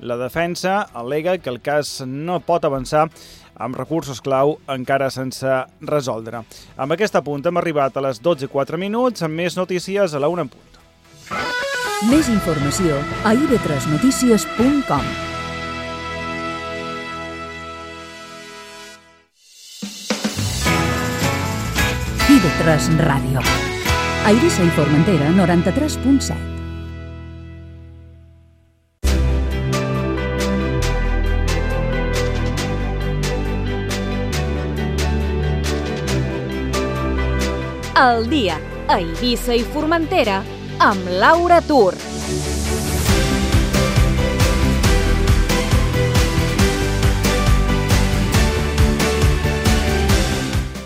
La defensa al·lega que el cas no pot avançar amb recursos clau encara sense resoldre. Amb aquest apunt hem arribat a les 12:04, amb més notícies a la 1 en punt. Més informació a ib3notícies.com. IB3 Ràdio. A Eivissa i Formentera, 93.7. El dia a Eivissa i Formentera amb Laura Tur.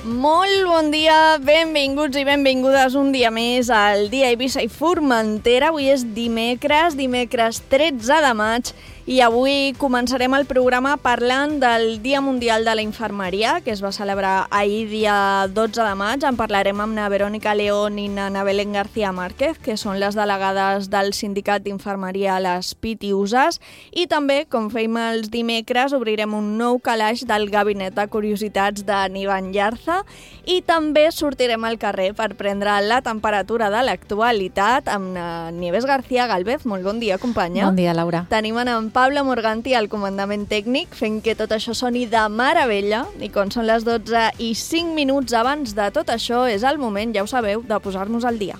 Molt bon dia, benvinguts i benvingudes un dia més al dia a Eivissa i Formentera. Avui és dimecres 13 de maig, i avui començarem el programa parlant del Dia Mundial de la Infermeria, que es va celebrar ahir, dia 12 de maig. En parlarem amb na Verònica León i na Belén García Márquez, que són les delegades del Sindicat d'Infermeria a les Pitiuses. I també, com fèiem els dimecres, obrirem un nou calaix del Gabinet de Curiositats de Ivan Yarza, i també sortirem al carrer per prendre la temperatura de l'actualitat amb na Nieves García Galvez. Molt bon dia, companya. Bon dia, Laura. Tenim en Pablo Morganti al comandament tècnic, fent que tot això soni de meravella, i quan són les 12:05 abans de tot això és el moment, ja ho sabeu, de posar-nos al dia.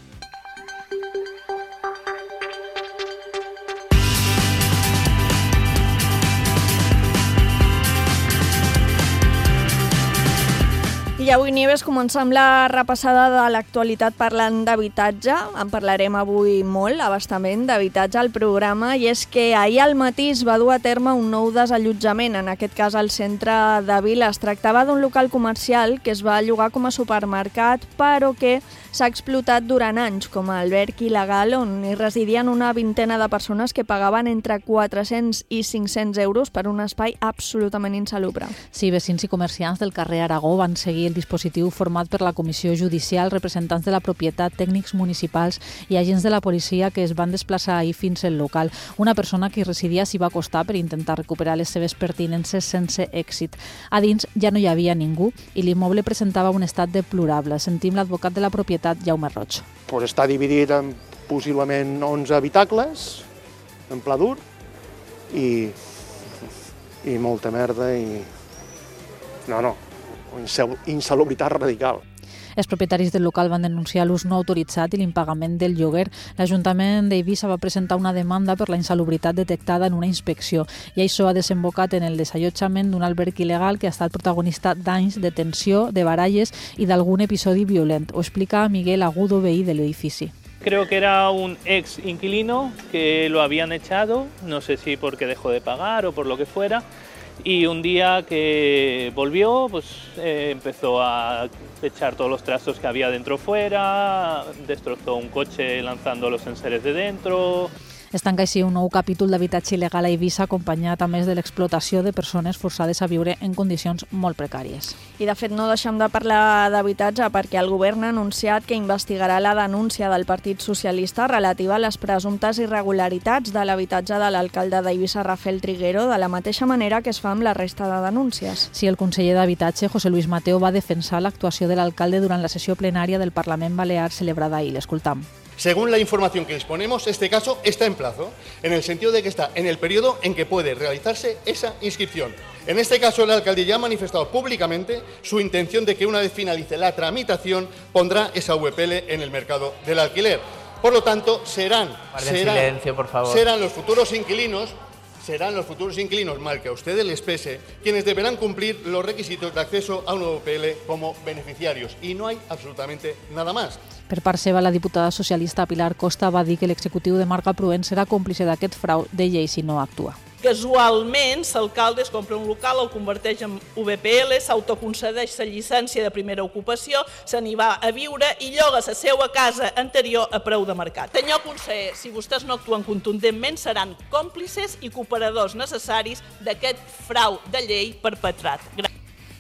I avui, Nieves, començar amb la repassada de l'actualitat parlant d'habitatge. En parlarem avui molt, abastament, d'habitatge al programa, i és que ahir al matí es va dur a terme un nou desallotjament, en aquest cas al centre de Vila. Es tractava d'un local comercial que es va llogar com a supermercat, però que s'ha explotat durant anys com a alberg il·legal, on hi residien una vintena de persones que pagaven entre 400 i 500 euros per un espai absolutament insalubre. Sí, veïns i comerciants del carrer Aragó van seguir el dispositiu format per la Comissió Judicial, representants de la propietat, tècnics municipals i agents de la policia que es van desplaçar ahir fins al local. Una persona que hi residia s'hi va acostar per intentar recuperar les seves pertinences sense èxit. A dins ja no hi havia ningú i l'immoble presentava un estat deplorable. Sentim l'advocat de la propietat, Jaume Roig. Està dividit en possiblement 11 habitacles, en pla dur, i molta merda i... insalubritat radical. Els propietaris del local van denunciar l'ús no autoritzat i l'impagament del lloguer. L'Ajuntament d'Eivissa va presentar una demanda per la insalubritat detectada en una inspecció, i això ha desembocat en el desallotjament d'un alberg il·legal que ha estat protagonista d'anys de tensió, de baralles i d'algun episodi violent. Ho explica Miguel Agudo, veí de l'edifici. Creo que era un ex inquilino que lo habían echado, no sé si porque dejó de pagar o por lo que fuera. Y un día que volvió, pues empezó a echar todos los trastos que había dentro fuera, destrozó un coche lanzando los enseres de dentro. Es tanca així un nou capítol d'habitatge il·legal a Eivissa, acompanyat a més de l'explotació de persones forçades a viure en condicions molt precàries. I de fet no deixem de parlar d'habitatge perquè el govern ha anunciat que investigarà la denúncia del Partit Socialista relativa a les presumptes irregularitats de l'habitatge de l'alcalde d'Eivissa, Rafael Triguero, de la mateixa manera que es fa amb la resta de denúncies. Sí, el conseller d'Habitatge, José Luis Mateo, va defensar l'actuació de l'alcalde durant la sessió plenària del Parlament Balear celebrada ahir. L'escoltam. Según la información que disponemos, este caso está en plazo, en el sentido de que está en el periodo en que puede realizarse esa inscripción. En este caso, el alcalde ya ha manifestado públicamente su intención de que una vez finalice la tramitación pondrá esa VPL en el mercado del alquiler. Por lo tanto, serán los futuros inquilinos, mal que a ustedes les pese, quienes deberán cumplir los requisitos de acceso a una VPL como beneficiarios. Y no hay absolutamente nada más. Per part seva, la diputada socialista Pilar Costa va dir que l'executiu de Marc Pruent serà còmplice d'aquest frau de llei si no actua. Casualment, l'alcalde es compra un local, el converteix en VPL, s'autoconcedeix la llicència de primera ocupació, se n'hi va a viure i lloga la seva casa anterior a preu de mercat. Senyor conseller, si vostès no actuen contundentment, seran còmplices i cooperadors necessaris d'aquest frau de llei perpetrat.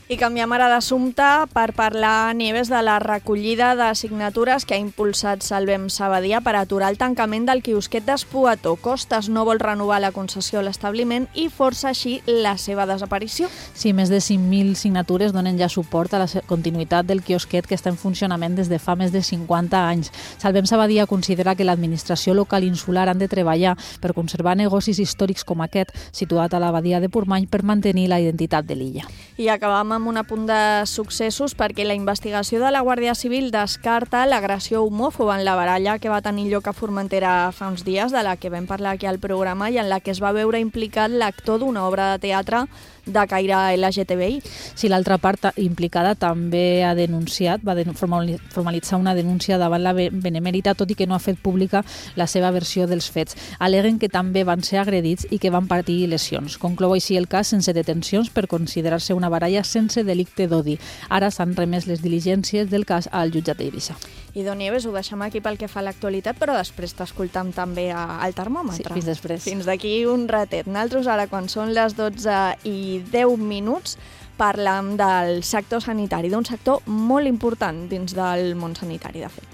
I canviem ara d'assumpte per parlar, Nieves, de la recollida de signatures que ha impulsat Salvem Sabadia per aturar el tancament del quiosquet d'Espuató. Costes no vol renovar la concessió a l'establiment i força així la seva desaparició. Sí, més de 5.000 signatures donen ja suport a la continuïtat del quiosquet que està en funcionament des de fa més de 50 anys. Salvem Sabadia considera que l'administració local insular han de treballar per conservar negocis històrics com aquest, situat a la badia de Portmany, per mantenir la identitat de l'illa. I acabam amb un apunt de successos perquè la investigació de la Guàrdia Civil descarta l'agressió homòfoba en la baralla que va tenir lloc a Formentera fa uns dies, de la que vam parlar aquí al programa i en la que es va veure implicat l'actor d'una obra de teatre de caire LGTBI. Si l'altra part implicada també ha denunciat, va formalitzar una denúncia davant la Benemèrita, tot i que no ha fet pública la seva versió dels fets. Aleguen que també van ser agredits i que van patir lesions. Conclou així el cas sense detencions per considerar-se una baralla sense delicte d'odi. Ara s'han remès les diligències del cas al jutjat d'Eivissa. I Don Nieves, ho deixem aquí pel que fa a l'actualitat, però després t'escoltam també al termòmetre. Sí, fins després. Fins d'aquí un ratet. Nosaltres ara, quan són les 12:10, parlam del sector sanitari, d'un sector molt important dins del món sanitari, de fet.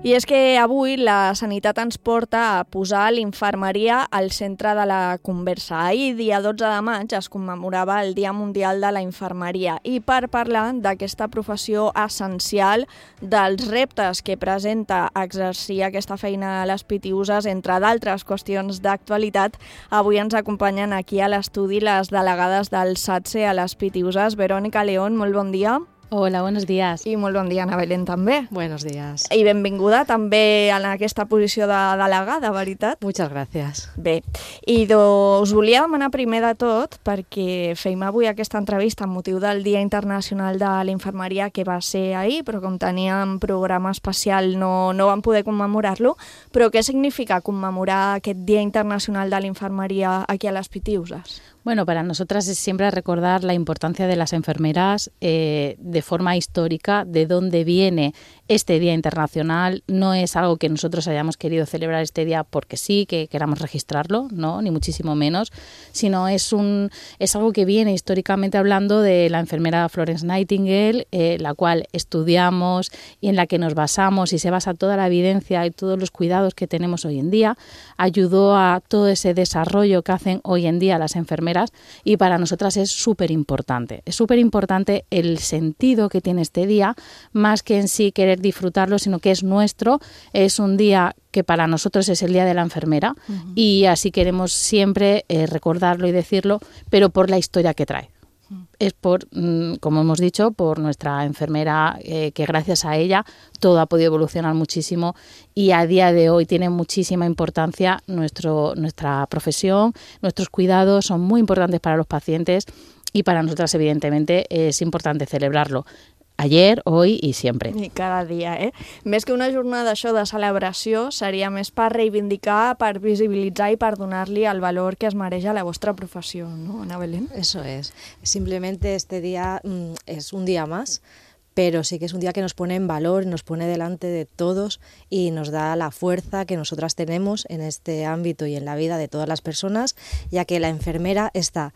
I és que avui la sanitat ens porta a posar l'infermeria al centre de la conversa. Ahir, dia 12 de maig, es commemorava el Dia Mundial de la Infermeria i per parlar d'aquesta professió essencial, dels reptes que presenta exercir aquesta feina a les Pitiüses, entre d'altres qüestions d'actualitat, avui ens acompanyen aquí a l'estudi les delegades del SATSE a les Pitiüses. Verònica León, molt bon dia. Hola, buenos días. I molt bon dia, Ana Belén, també. Buenos días. I benvinguda també en aquesta posició de delegada, veritat? Muchas gracias. Bé, i us volia demanar primer de tot, perquè fèiem avui aquesta entrevista amb motiu del Dia Internacional de la Infermeria, que va ser ahir, però com teníem programa especial no vam poder commemorar-lo. Però què significa commemorar aquest Dia Internacional de la Infermeria aquí a les Pitiüses? Bueno, para nosotras es siempre recordar la importancia de las enfermeras de forma histórica, de dónde viene este Día Internacional. No es algo que nosotros hayamos querido celebrar este día porque sí, que queramos registrarlo, no, ni muchísimo menos, sino es algo que viene históricamente hablando de la enfermera Florence Nightingale, la cual estudiamos y en la que nos basamos y se basa toda la evidencia y todos los cuidados que tenemos hoy en día. Ayudó a todo ese desarrollo que hacen hoy en día las enfermeras y para nosotras es súper importante. Es súper importante el sentido que tiene este día, más que en sí querer disfrutarlo, sino que es nuestro, es un día que para nosotros es el Día de la Enfermera y así queremos siempre recordarlo y decirlo, pero por la historia que trae. Es por, como hemos dicho, por nuestra enfermera, que gracias a ella todo ha podido evolucionar muchísimo y a día de hoy tiene muchísima importancia nuestra profesión, nuestros cuidados son muy importantes para los pacientes y para nosotras evidentemente es importante celebrarlo. Ayer, hoy i sempre. I cada dia, Més que una jornada això de celebració, seria més per reivindicar, per visibilitzar i per donar-li el valor que es mereix a la vostra professió, ¿no, Ana Belén? Eso es. Simplemente este día es un día más, pero sí que es un día que nos pone en valor, nos pone delante de todos y nos da la fuerza que nosotras tenemos en este ámbito y en la vida de todas las personas, ya que la enfermera está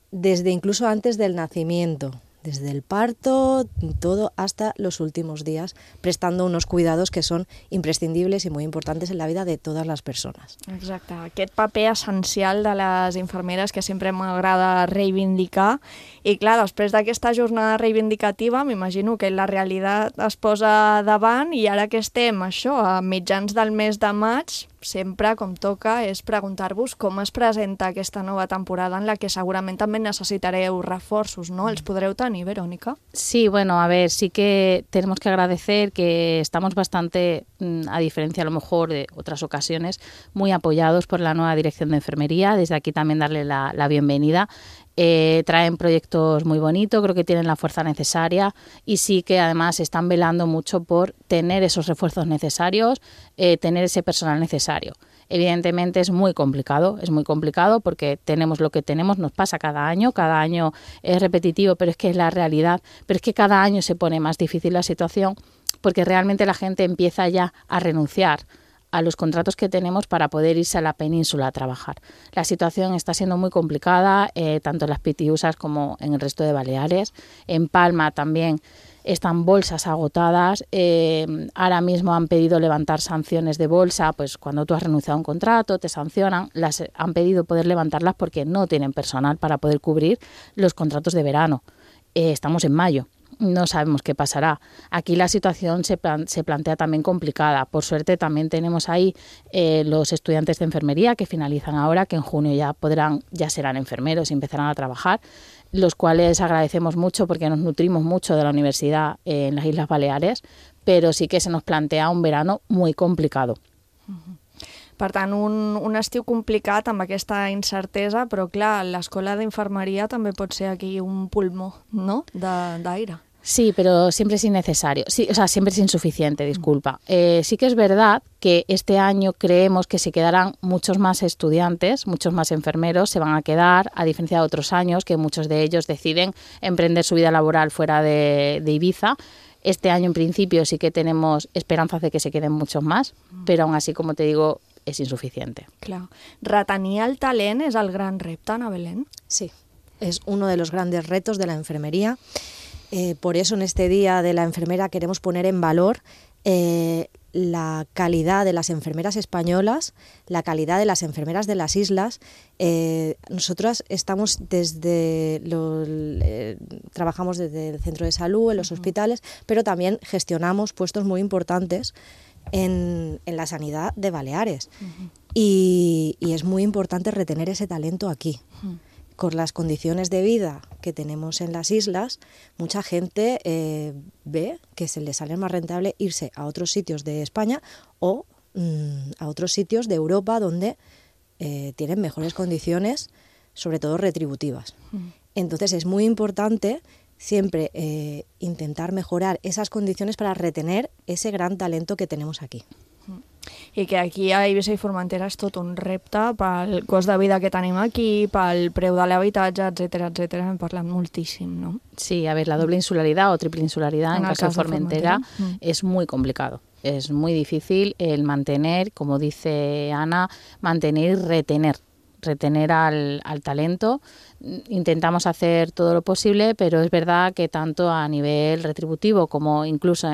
desde incluso antes del nacimiento, desde el parto, todo hasta los últimos días, prestando unos cuidados que son imprescindibles y muy importantes en la vida de todas las persones. Exacte, aquest paper essencial de les infermeres que sempre m'agrada reivindicar. I clar, després d'aquesta jornada reivindicativa, m'imagino que la realitat es posa davant i ara que estem, això, a mitjans del mes de maig, sempre, com toca, és preguntar-vos com es presenta aquesta nova temporada en la que segurament també necessitareu reforços, ¿no? Els podreu tenir, Verónica? Sí, bueno, a ver, sí que tenemos que agradecer que estamos bastante, a diferencia a lo mejor de otras ocasiones, muy apoyados por la nueva Dirección de Enfermería. Desde aquí también darle la bienvenida. Traen proyectos muy bonitos, creo que tienen la fuerza necesaria y sí que además están velando mucho por tener esos refuerzos necesarios, tener ese personal necesario. Evidentemente es muy complicado porque tenemos lo que tenemos, nos pasa cada año es repetitivo, pero es que es la realidad, pero es que cada año se pone más difícil la situación porque realmente la gente empieza ya a renunciar a los contratos que tenemos para poder irse a la península a trabajar. La situación está siendo muy complicada, tanto en las Pitiusas como en el resto de Baleares. En Palma también están bolsas agotadas. Ahora mismo han pedido levantar sanciones de bolsa, pues cuando tú has renunciado a un contrato, te sancionan, las han pedido poder levantarlas porque no tienen personal para poder cubrir los contratos de verano. Estamos en mayo. No sabemos qué pasará. Aquí la situación se plantea también complicada. Por suerte también tenemos ahí los estudiantes de enfermería que finalizan ahora, que en junio ya serán enfermeros y empezarán a trabajar, los cuales agradecemos mucho porque nos nutrimos mucho de la universidad en las Islas Baleares, pero sí que se nos plantea un verano muy complicado. Per tant, un estiu complicat amb aquesta incertesa, però clar, l'escola d'infermeria també pot ser aquí un pulmó, ¿no?, d'aire. Sí, pero siempre es innecesario. Sí, o sea, siempre es insuficiente, disculpa. Sí que es verdad que este año creemos que se quedarán muchos más estudiantes, muchos más enfermeros se van a quedar, a diferencia de otros años que muchos de ellos deciden emprender su vida laboral fuera de Ibiza. Este año, en principio, sí que tenemos esperanzas de que se queden muchos más, pero aún así, como te digo, es insuficiente. Clar. Retenir el talent és el gran repte, Ana Belén? Sí, es uno de los grandes retos de la enfermería. Por eso en este Día de la Enfermera queremos poner en valor la calidad de las enfermeras españolas, la calidad de las enfermeras de las islas. Nosotras estamos trabajamos desde el centro de salud, en los hospitales, pero también gestionamos puestos muy importantes en la sanidad de Baleares. Y es muy importante retener ese talento aquí. Con las condiciones de vida que tenemos en las islas, mucha gente ve que se les sale más rentable irse a otros sitios de España o a otros sitios de Europa donde tienen mejores condiciones, sobre todo retributivas. Entonces es muy importante siempre intentar mejorar esas condiciones para retener ese gran talento que tenemos aquí. I que aquí a Eivissa i Formentera és tot un repte pel cost de vida que tenim aquí, pel preu de l'habitatge, etc. Hem parlat moltíssim, ¿no? Sí, a ver, la doble insularidad o triple insularidad en caso de Formentera es muy complicado. Es muy difícil el mantener, como dice Ana, mantener y retener al talento. Intentamos hacer todo lo posible, pero es verdad que tanto a nivel retributivo como incluso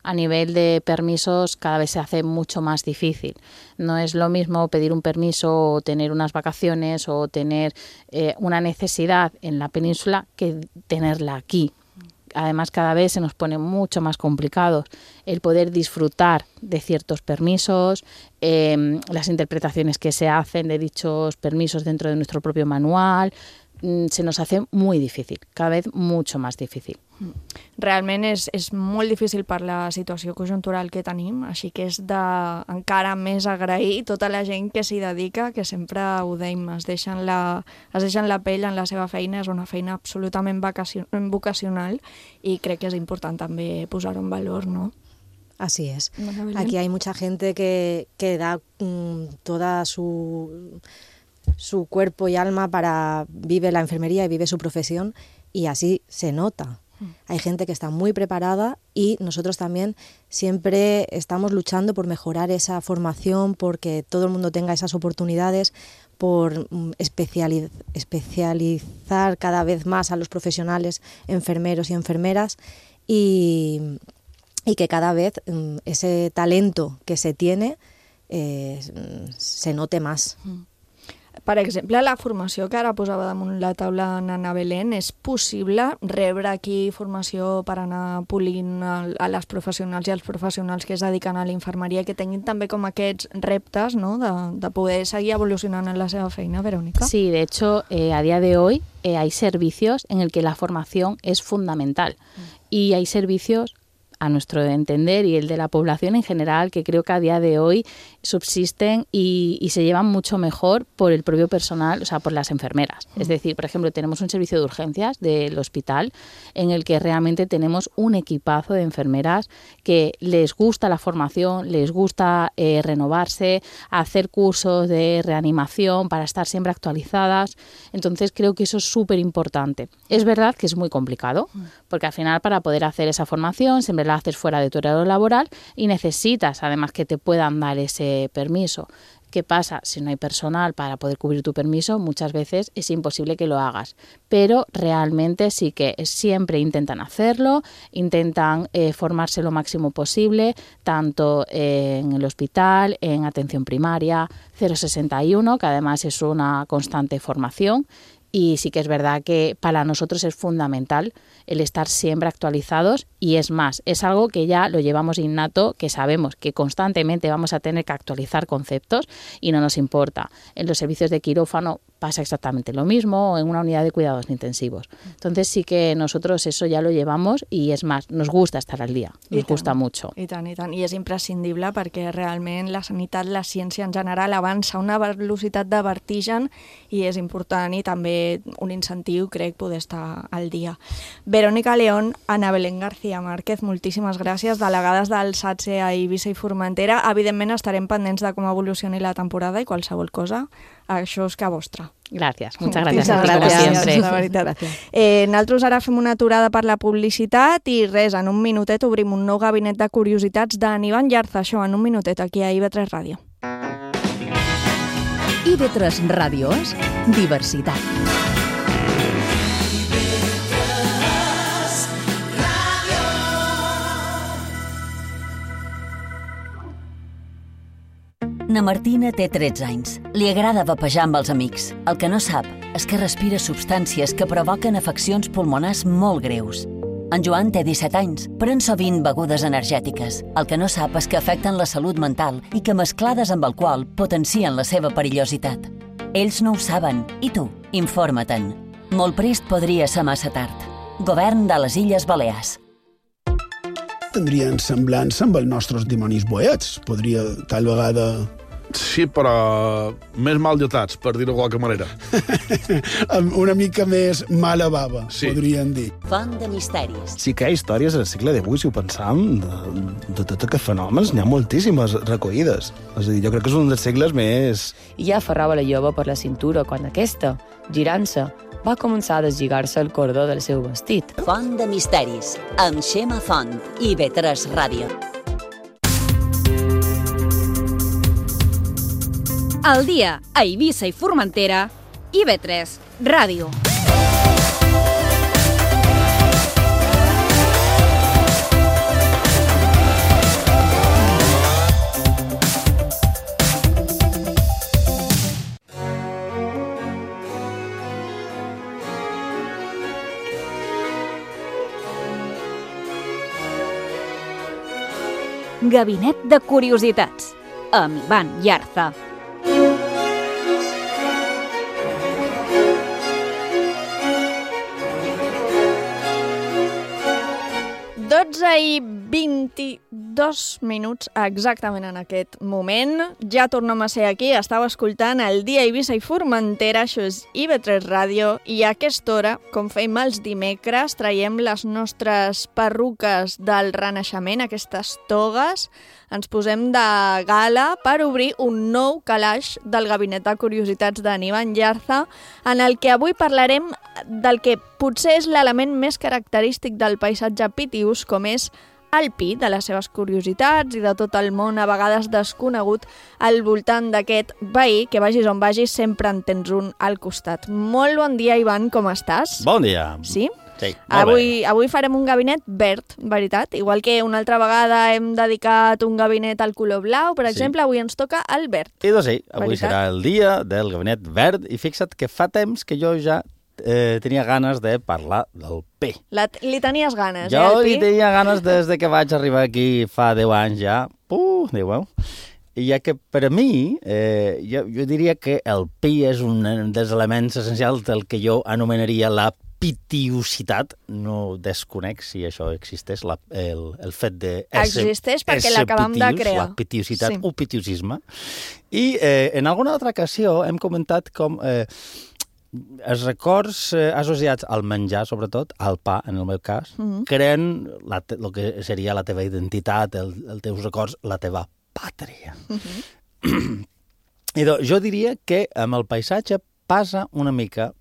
a nivel de permisos cada vez se hace mucho más difícil. No es lo mismo pedir un permiso o tener unas vacaciones o tener una necesidad en la península que tenerla aquí. Además, cada vez se nos pone mucho más complicado el poder disfrutar de ciertos permisos, las interpretaciones que se hacen de dichos permisos dentro de nuestro propio manual. Se nos hace muy difícil, cada vez mucho más difícil. Realment és molt difícil per la situació conjuntural que tenim, així que és encara més agrair tota la gent que s'hi dedica, que sempre ho deim, es deixen la pell en la seva feina, és una feina absolutament vocacional i crec que és important també posar-ho en valor, ¿no? Así es. Aquí hay mucha gente que da toda su cuerpo y alma vive la enfermería y vive su profesión y así se nota. Hay gente que está muy preparada y nosotros también siempre estamos luchando por mejorar esa formación, porque todo el mundo tenga esas oportunidades, por especializar cada vez más a los profesionales enfermeros y enfermeras y que cada vez ese talento que se tiene se note más. Per exemple, la formació que ara posava damunt la taula Ana Belén, és possible rebre aquí formació per anar polint a les professionals i als professionals que es dediquen a la infermeria, que tinguin també com aquests reptes, ¿no?, de poder seguir evolucionant en la seva feina, Verónica? Sí, de hecho, a día de hoy hay servicios en el que la formación es fundamental y hay servicios, a nuestro entender y el de la población en general, que creo que a día de hoy subsisten y se llevan mucho mejor por el propio personal, o sea, por las enfermeras. Es decir, por ejemplo, tenemos un servicio de urgencias del hospital en el que realmente tenemos un equipazo de enfermeras que les gusta la formación, les gusta renovarse, hacer cursos de reanimación para estar siempre actualizadas. Entonces creo que eso es súper importante. Es verdad que es muy complicado, porque al final para poder hacer esa formación siempre la haces fuera de tu horario laboral y necesitas además que te puedan dar ese permiso. ¿Qué pasa? Si no hay personal para poder cubrir tu permiso, muchas veces es imposible que lo hagas. Pero realmente sí que siempre intentan hacerlo, intentan formarse lo máximo posible, tanto en el hospital, en atención primaria, 061, que además es una constante formación. Y sí que es verdad que para nosotros es fundamental el estar siempre actualizados y es más, es algo que ya lo llevamos innato, que sabemos que constantemente vamos a tener que actualizar conceptos y no nos importa. En los servicios de quirófano pasa exactamente lo mismo, o en una unidad de cuidados intensivos. Entonces sí que nosotros eso ya lo llevamos i és més, nos gusta estar al dia, nos gusta mucho. I tant, i tant. I és imprescindible perquè realment la sanitat, la ciència en general avança a una velocitat de vertigen i és important i també un incentiu, crec, poder estar al dia. Verónica León, Ana Belén García Márquez, moltíssimes gràcies, delegades del SATSE a Eivissa i Formentera. Evidentment estarem pendents de com evolucioni la temporada i qualsevol cosa, això és que vostra. Gràcies, muchas gracias a ti, como siempre. La veritat. Nosaltres ara fem una aturada per la publicitat i res, en un minutet obrim un nou gabinet de curiositats d'en Ivan Llarza, això en un minutet aquí a IB3 Ràdio. IB3 Ràdio és diversitat. Na Martina té 13 anys. Li agrada vapejar amb els amics. El que no sap és que respira substàncies que provoquen afeccions pulmonars molt greus. En Joan té 17 anys, pren sovint begudes energètiques. El que no sap és que afecten la salut mental i que mesclades amb alcohol potencien la seva perillositat. Ells no ho saben. I tu? Informa-te'n. Molt prest podria ser massa tard. Govern de les Illes Balears. Tindrien semblança amb els nostres dimonis boets. Podria, tal vegada... Sí, però més mal dotats, per dir-ho de qualque manera. Una mica més mala bava, sí. Podríem dir. Font de misteris. Sí que hi ha històries al segle XVIII, si ho pensam, de tots aquests fenòmens, n'hi ha moltíssimes recollides. És a dir, jo crec que és un dels segles més... I ja aferrava la jove per la cintura quan aquesta, girant-se, va començar a deslligar-se el cordó del seu vestit. Font de misteris, amb Xema Font, IB3 Ràdio. Al dia a Eivissa i Formentera, IB3 Ràdio. Gabinet de Curiositats, amb Ivan Llarza. 12:22 exactament en aquest moment. Ja tornem a ser aquí, estàu escoltant el dia Eivissa i Formentera, això és IB3 Ràdio, i a aquesta hora, com fem els dimecres, traiem les nostres perruques del Renaixement, aquestes togues, ens posem de gala per obrir un nou calaix del Gabinet de Curiositats d'en Ivan Llarza, en el que avui parlarem del que potser és l'element més característic del paisatge pitiús, com és el pi, de les seves curiositats i de tot el món a vegades desconegut al voltant d'aquest veí, que vagis on vagis sempre en tens un al costat. Molt bon dia, Ivan, com estàs? Bon dia. Sí? Sí, avui farem un gabinet verd, veritat? Igual que una altra vegada hem dedicat un gabinet al color blau, per exemple, avui ens toca el verd. I doncs sí, avui serà el dia del gabinet verd i fixa't que fa temps que jo ja tenia ganes de parlar del pi. Li tenies ganes, jo el pi? li tenia ganes des de que vaig arribar aquí fa 10 anys ja. 10 anys. I ja que per a mi, jo diria que el pi és un dels elements essencials del que jo anomenaria la pitiositat. No desconec si això existeix, el fet de existeix perquè l'acabam de crear. La pitiositat o pitiosisme. I en alguna altra ocasió hem comentat com els records associats al menjar, sobretot, al pa, en el meu cas, creen el que seria la teva identitat, els teus records, la teva pàtria. I doncs, jo diria que amb el paisatge passa una mica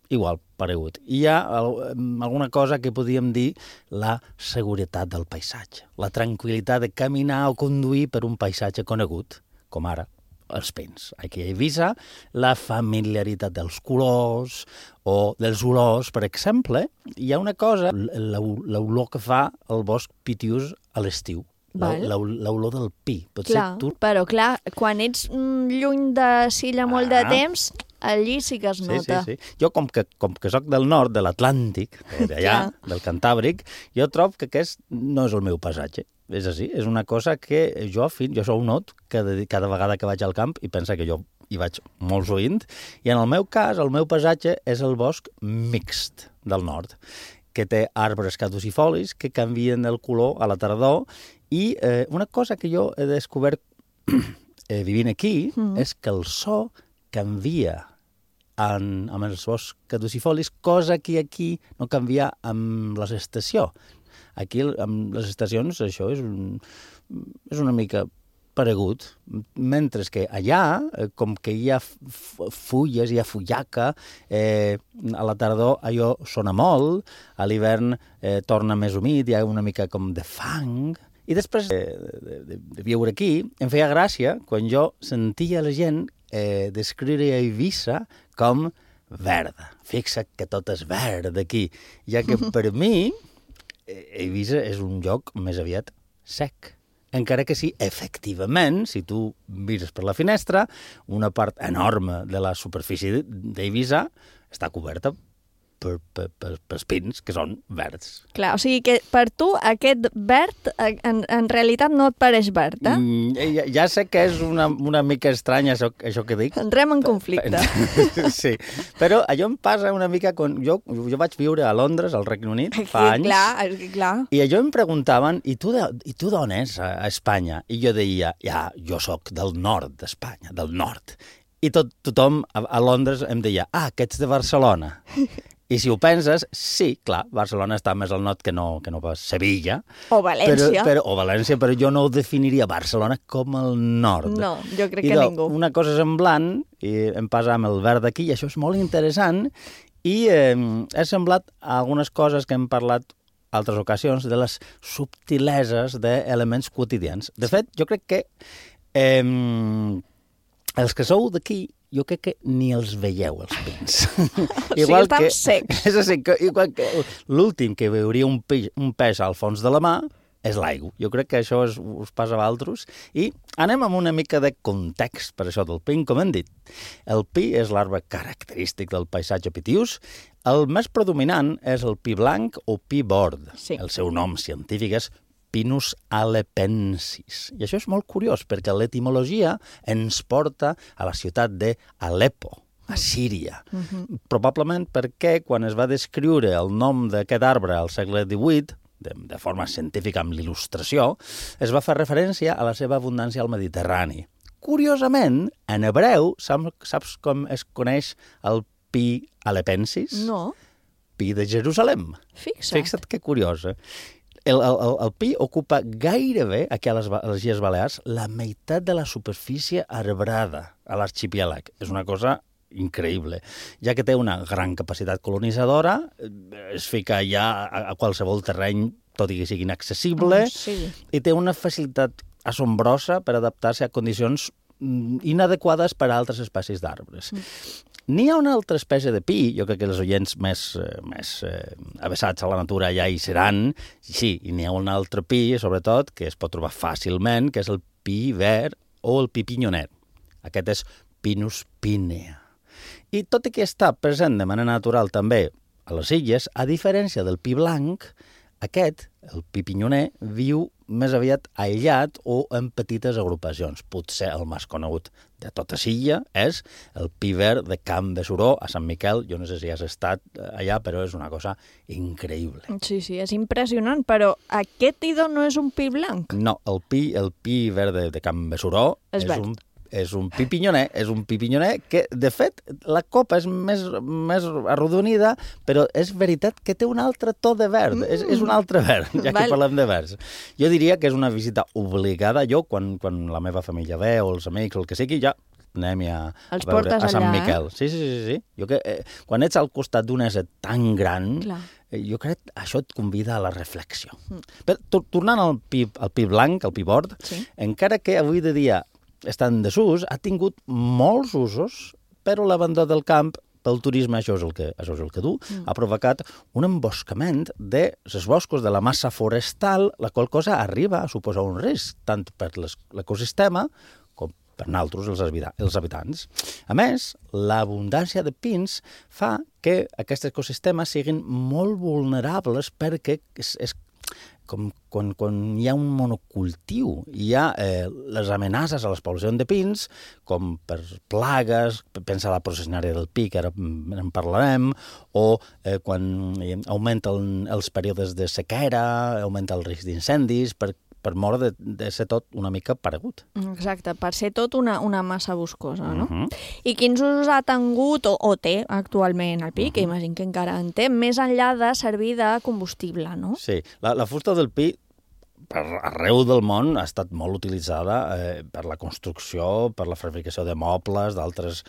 igual, paregut. I hi ha alguna cosa que podríem dir la seguretat del paisatge, la tranquil·litat de caminar o conduir per un paisatge conegut, com ara els pins. Aquí a Eivissa, la familiaritat dels colors o dels olors, per exemple. Hi ha una cosa, l'olor que fa el bosc pitiús a l'estiu. L'olor del pi. Però clar, quan ets lluny de Silla molt de temps, allí sí que es nota. Sí. Jo, com que soc del nord, de l'Atlàntic, d'allà, del Cantàbric, jo trobo que aquest no és el meu paisatge. És així, és una cosa que jo sou un not cada vegada que vaig al camp i pensa que jo hi vaig molt sovint, i en el meu cas, el meu paisatge és el bosc mixt del nord, que té arbres caducifolis que canvien el color a la tardor, i una cosa que jo he descobert vivint aquí és que el so canvia amb els boscs caducifolis, cosa que aquí no canvia amb les estacions. Aquí, amb les estacions, això és una mica paregut, mentre que allà, com que hi ha fulles, hi ha fullaca, a la tardor allò sona molt, a l'hivern torna més humit, hi ha una mica com de fang. I després de viure aquí, em feia gràcia quan jo sentia la gent descriure Eivissa com verda. Fixa't que tot és verd aquí, ja que per mi Eivissa és un lloc més aviat sec. Encara que sí, efectivament, si tu mires per la finestra, una part enorme de la superfície d'Eivissa està coberta pels pins, que són verds. Clar, o sigui que per tu aquest verd en realitat no et pareix verd, Ja sé que és una mica estrany això que dic. Entrem en conflicte. Sí, però allò em passa una mica quan jo vaig viure a Londres, al Regne Unit, fa anys. Clar. I allò em preguntaven, i tu d'on és a Espanya? I jo deia, jo sóc del nord d'Espanya, del nord. I tothom a Londres em deia, que ets de Barcelona. I si ho penses, sí, clar, Barcelona està més al nord que no pas Sevilla. O València. O València, però jo no ho definiria Barcelona com el nord. No, jo crec que ningú. Una cosa semblant, i em passa amb el verd aquí, i això és molt interessant, i he semblat a algunes coses que hem parlat altres ocasions de les subtileses d'elements quotidians. De fet, jo crec que els que sou d'aquí, jo crec que ni els veieu, els pins. Igual estan secs. És així, igual que l'últim que veuria un peix al fons de la mà és l'aigua. Jo crec que això us passa a altres. I anem amb una mica de context per això del pi, com hem dit. El pi és l'arbre característic del paisatge pitiús. El més predominant és el pi blanc o pi bord. Sí. El seu nom científic és Pinus alepensis. I això és molt curiós, perquè l'etimologia ens porta a la ciutat d'Aleppo, a Síria. Probablement perquè quan es va descriure el nom d'aquest arbre al segle XVIII, de forma científica amb l'il·lustració, es va fer referència a la seva abundància al Mediterrani. Curiosament, en hebreu, saps com es coneix el pi alepensis? No. Pi de Jerusalem. Fixa't que curiosa. El pi ocupa gairebé, aquí a les Illes Balears, la meitat de la superfície arbrada a l'arxipièlag. És una cosa increïble, ja que té una gran capacitat colonitzadora, es fica ja a qualsevol terreny, tot i que sigui inaccessible, i té una facilitat assombrosa per adaptar-se a condicions inadequades per a altres espècies d'arbres. N'hi ha una altra espècie de pi, jo crec que els oients més avessats a la natura ja hi seran, sí, i n'hi ha un altre pi, sobretot, que es pot trobar fàcilment, que és el pi verd o el pi pinyonet. Aquest és Pinus pinea. I tot i que està present de manera natural també a les illes, a diferència del pi blanc, aquest, el pi pinyoner, viu més aviat aïllat o en petites agrupacions. Potser el més conegut de tota Silla és el pi verd de Can Besuró a Sant Miquel. Jo no sé si has estat allà, però és una cosa increïble. Sí, és impressionant, però aquest idò no és un pi blanc? No, el pi verd de Can Besuró és un pi pinyoner que, de fet, la copa és més arrodonida, però és veritat que té un altre to de verd. És un altre verd, ja que parlem de verds. Jo diria que és una visita obligada. Jo, quan la meva família ve, o els amics, o el que sigui, ja anem-hi a Els veure portes a Sant allà, Miquel. Sí. Jo que, quan ets al costat d'un ésser tan gran, Clar. Jo crec que això et convida a la reflexió. Però, tornant al pi blanc, al pi bord, encara que avui de dia està en desús, ha tingut molts usos, però l'abandó del camp pel turisme, això és el que du, ha provocat un emboscament de els boscos, de la massa forestal, la qual cosa arriba a suposar un risc, tant per l'ecosistema com per nosaltres, els habitants. A més, l'abundància de pins fa que aquests ecosistemes siguin molt vulnerables perquè és com quan hi ha un monocultiu, hi ha les amenaces a les poblacions de pins, com per plagues, pensa a la processionària del pi, que ara en parlarem, o quan augmenten els períodes de sequera, augmenta el risc d'incendis, per mort de ser tot una mica paregut. Exacte, per ser tot una massa boscosa, no? I quins usos ha tingut o té actualment el pi, que imagino que encara en té, més enllà de servir de combustible, no? Sí, la fusta del pi arreu del món ha estat molt utilitzada per la construcció, per la fabricació de mobles, d'altres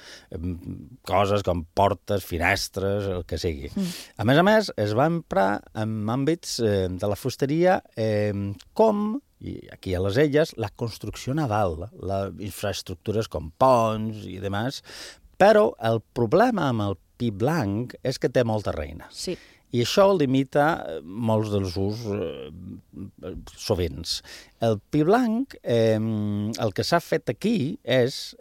coses com portes, finestres, el que sigui. A més, es va emprar en àmbits de la fusteria com, i aquí a les illes, la construcció naval, les infraestructures com ponts i demás, però el problema amb el pi blanc és que té molta reina. Sí. I això limita molts dels usos sovint. El pi blanc, el que s'ha fet aquí és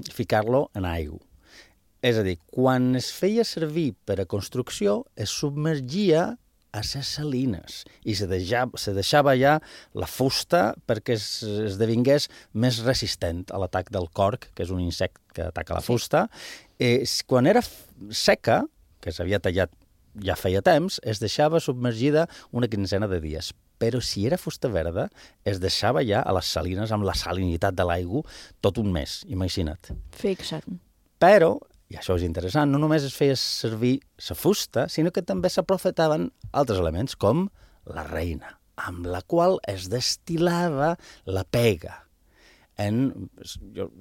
ficar-lo en aigua. És a dir, quan es feia servir per a construcció, es submergia a les salines i se deixava ja la fusta perquè esdevingués més resistent a l'atac del corc, que és un insecte que ataca la fusta. Quan era seca, que s'havia tallat ja feia temps, es deixava submergida una quinzena de dies. Però si era fusta verda, es deixava ja a les salines amb la salinitat de l'aigua tot un mes, imagina't. Fixa't. Però, i això és interessant, no només es feia servir la fusta, sinó que també s'aprofitaven altres elements, com la reina, amb la qual es destil·lava la pega.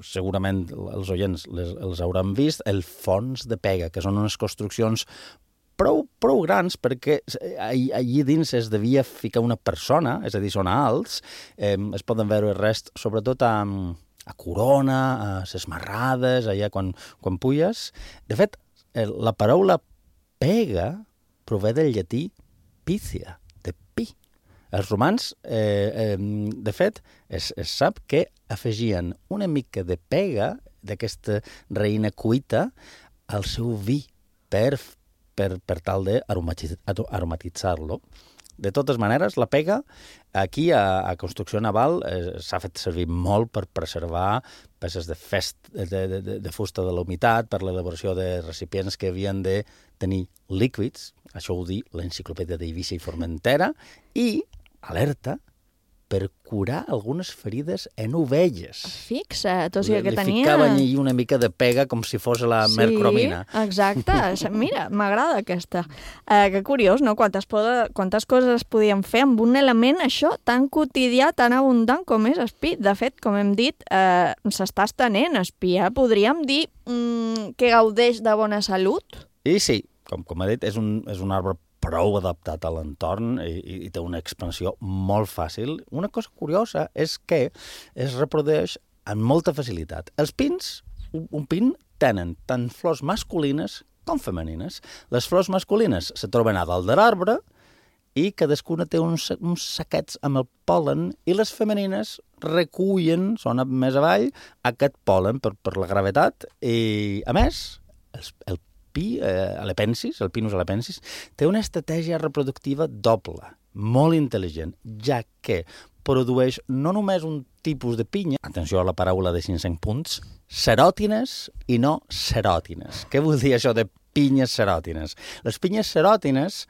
Segurament els oients els hauran vist, el fons de pega, que són unes construccions prou grans perquè allí dins es devia ficar una persona, és a dir, són alts, es poden veure el rest, sobretot a Corona, a les marrades, allà quan puges. De fet, la paraula pega prové del llatí pícia, de pi. Els romans, de fet, es sap que afegien una mica de pega d'aquesta reina cuita al seu vi per tal d'aromatitzar-lo. De totes maneres, la pega, aquí a construcció naval, s'ha fet servir molt per preservar peces de fusta de la humitat, per l'elaboració de recipients que havien de tenir líquids, això ho diu l'enciclopèdia d'Eivissa i Formentera, i, alerta, per curar algunes ferides en ovelles. Fixa't, o sigui que tenia... Li ficaven allí una mica de pega com si fos la mercromina. Sí, exacte. Mira, m'agrada aquesta. Que curiós, no? Quantes coses es podien fer amb un element, això, tan quotidià, tan abundant com és espí. De fet, com hem dit, s'està estenent. Espí, podríem dir que gaudeix de bona salut? I sí, com ha dit, és un arbre prou adaptat a l'entorn i té una expansió molt fàcil. Una cosa curiosa és que es reprodueix amb molta facilitat. Els pins, un pin, tenen tant flors masculines com femenines. Les flors masculines se troben a dalt de l'arbre i cadascuna té uns saquets amb el pol·len i les femenines recullen, són més avall, aquest pol·len per la gravetat i, a més, el Pinus alepensis, té una estratègia reproductiva doble, molt intel·ligent, ja que produeix no només un tipus de pinya, atenció a la paraula de 500 punts, seròtines i no seròtines. Què vol dir això de pinyes seròtines? Les pinyes seròtines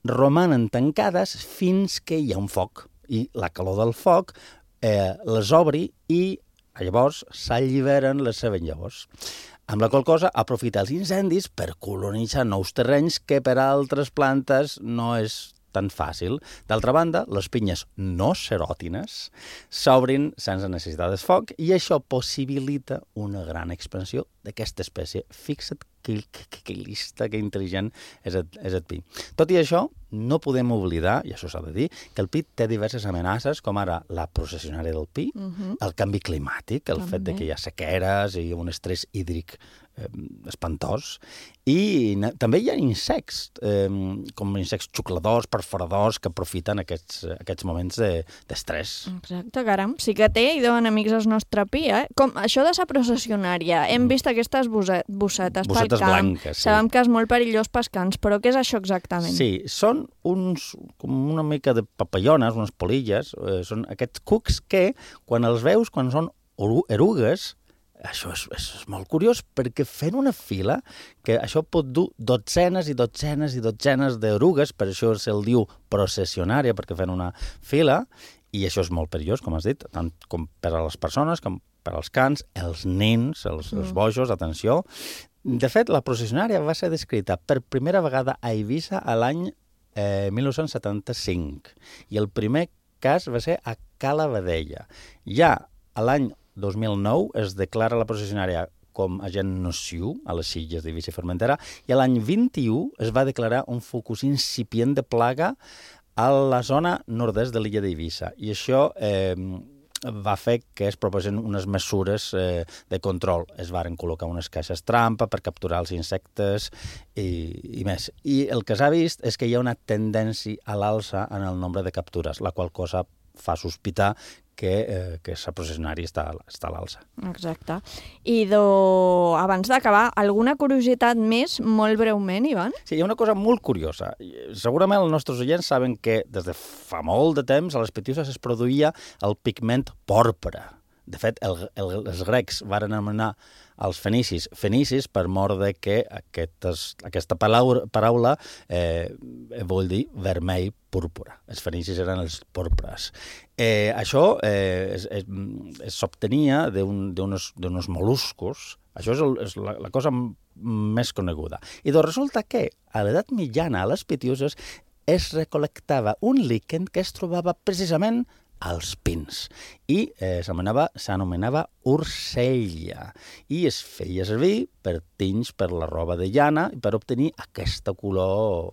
romanen tancades fins que hi ha un foc, i la calor del foc les obri i llavors s'alliberen les seves llavors. Amb la qual cosa aprofita els incendis per colonitzar nous terrenys que per a altres plantes no és tan fàcil. D'altra banda, les pinyes no seròtines s'obrin sense necessitat de foc i això possibilita una gran expansió d'aquesta espècie. Fixa't que llista, que intel·ligent és el pi. Tot i això, no podem oblidar, i això s'ha de dir, que el pi té diverses amenaces, com ara la processionària del pi, el canvi climàtic, el fet de que hi ha sequeres i un estrès hídric espantós, i també hi ha insectes, com insectes xucladors, perforadors, que aprofiten aquests moments d'estrès. Exacte, caram, sí que té, i deuen amics el nostre pi, eh? Com això de la processionària, hem vist aquestes bossetes pel camp, blanques, sí. Sabem que és molt perillós pels camps, però què és això exactament? Sí, són com una mica de papallones, unes polilles, són aquests cucs que, quan els veus, quan són erugues, això és molt curiós, perquè fent una fila, que això pot dur dotzenes i dotzenes i dotzenes d'erugues, per això se'l diu processionària, perquè fan una fila, i això és molt perillós, com has dit, tant com per a les persones, com per als cans, els nens, els bojos, atenció. De fet, la processionària va ser descrita per primera vegada a Eivissa a l'any 1975, i el primer cas va ser a Cala Vedella. Ja a l'any 2009 es declara la processionària com agent nociu a les illes d'Eivissa i Formentera, i l'any 21 es va declarar un focus incipient de plaga a la zona nord-est de l'illa d'Eivissa. I això va fer que es proposen unes mesures de control. Es varen col·locar unes caixes trampa per capturar els insectes i més. I el que s'ha vist és que hi ha una tendència a l'alça en el nombre de captures, la qual cosa fa sospitar que la processionària està a l'alça. Exacte. I abans d'acabar, alguna curiositat més, molt breument, Ivan? Sí, hi ha una cosa molt curiosa. Segurament els nostres oients saben que des de fa molt de temps a les Pitiüses es produïa el pigment pòrpora. De fet, els grecs varen anomenar els fenicis per mort de que aquesta paraula vol dir vermell púrpura. Els fenicis eren els pòrpores. Això s'obtenia d'uns mol·luscos. Això és la cosa més coneguda. I doncs resulta que a l'edat mitjana a les Pitiüses es recol·lectava un líquen que es trobava precisament als pins, i s'anomenava urcella, i es feia servir per tinys per la roba de llana i per obtenir aquesta color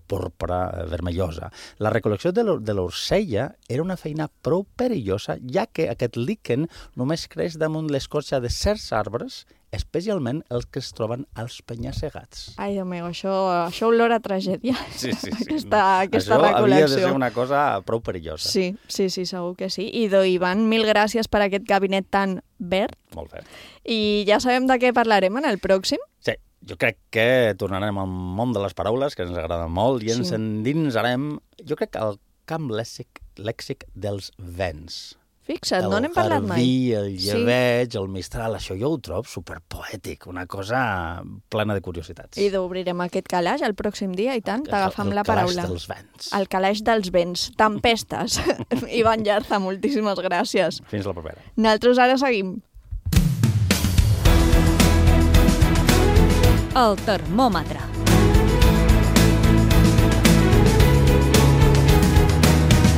pòrpora vermellosa. La recol·lecció de l'urcella era una feina prou perillosa, ja que aquest líquen només creix damunt l'escorça de certs arbres, especialment els que es troben als penya-segats. Ai, Déu meu, això olora a tragèdia. Sí. Aquesta això recol·lecció. Havia de ser una cosa prou perillosa. Sí, segur que sí. I Ivan, mil gràcies per aquest gabinet tan verd. Molt bé. I ja sabem de què parlarem en el pròxim? Sí, jo crec que tornarem al món de les paraules, que ens agrada molt, i ens endinsarem, jo crec, al camp lèxic dels vents. Fixa't, no n'hem parlat mai. El garbí, el llebeig, el mistral, això jo ho trobo superpoètic, una cosa plena de curiositats. I obrirem aquest calaix el pròxim dia, i tant, t'agafam la paraula. El calaix dels vents. El calaix dels vents, tempestes. Ivan Llarza, moltíssimes gràcies. Fins la propera. Nosaltres ara seguim. El termòmetre.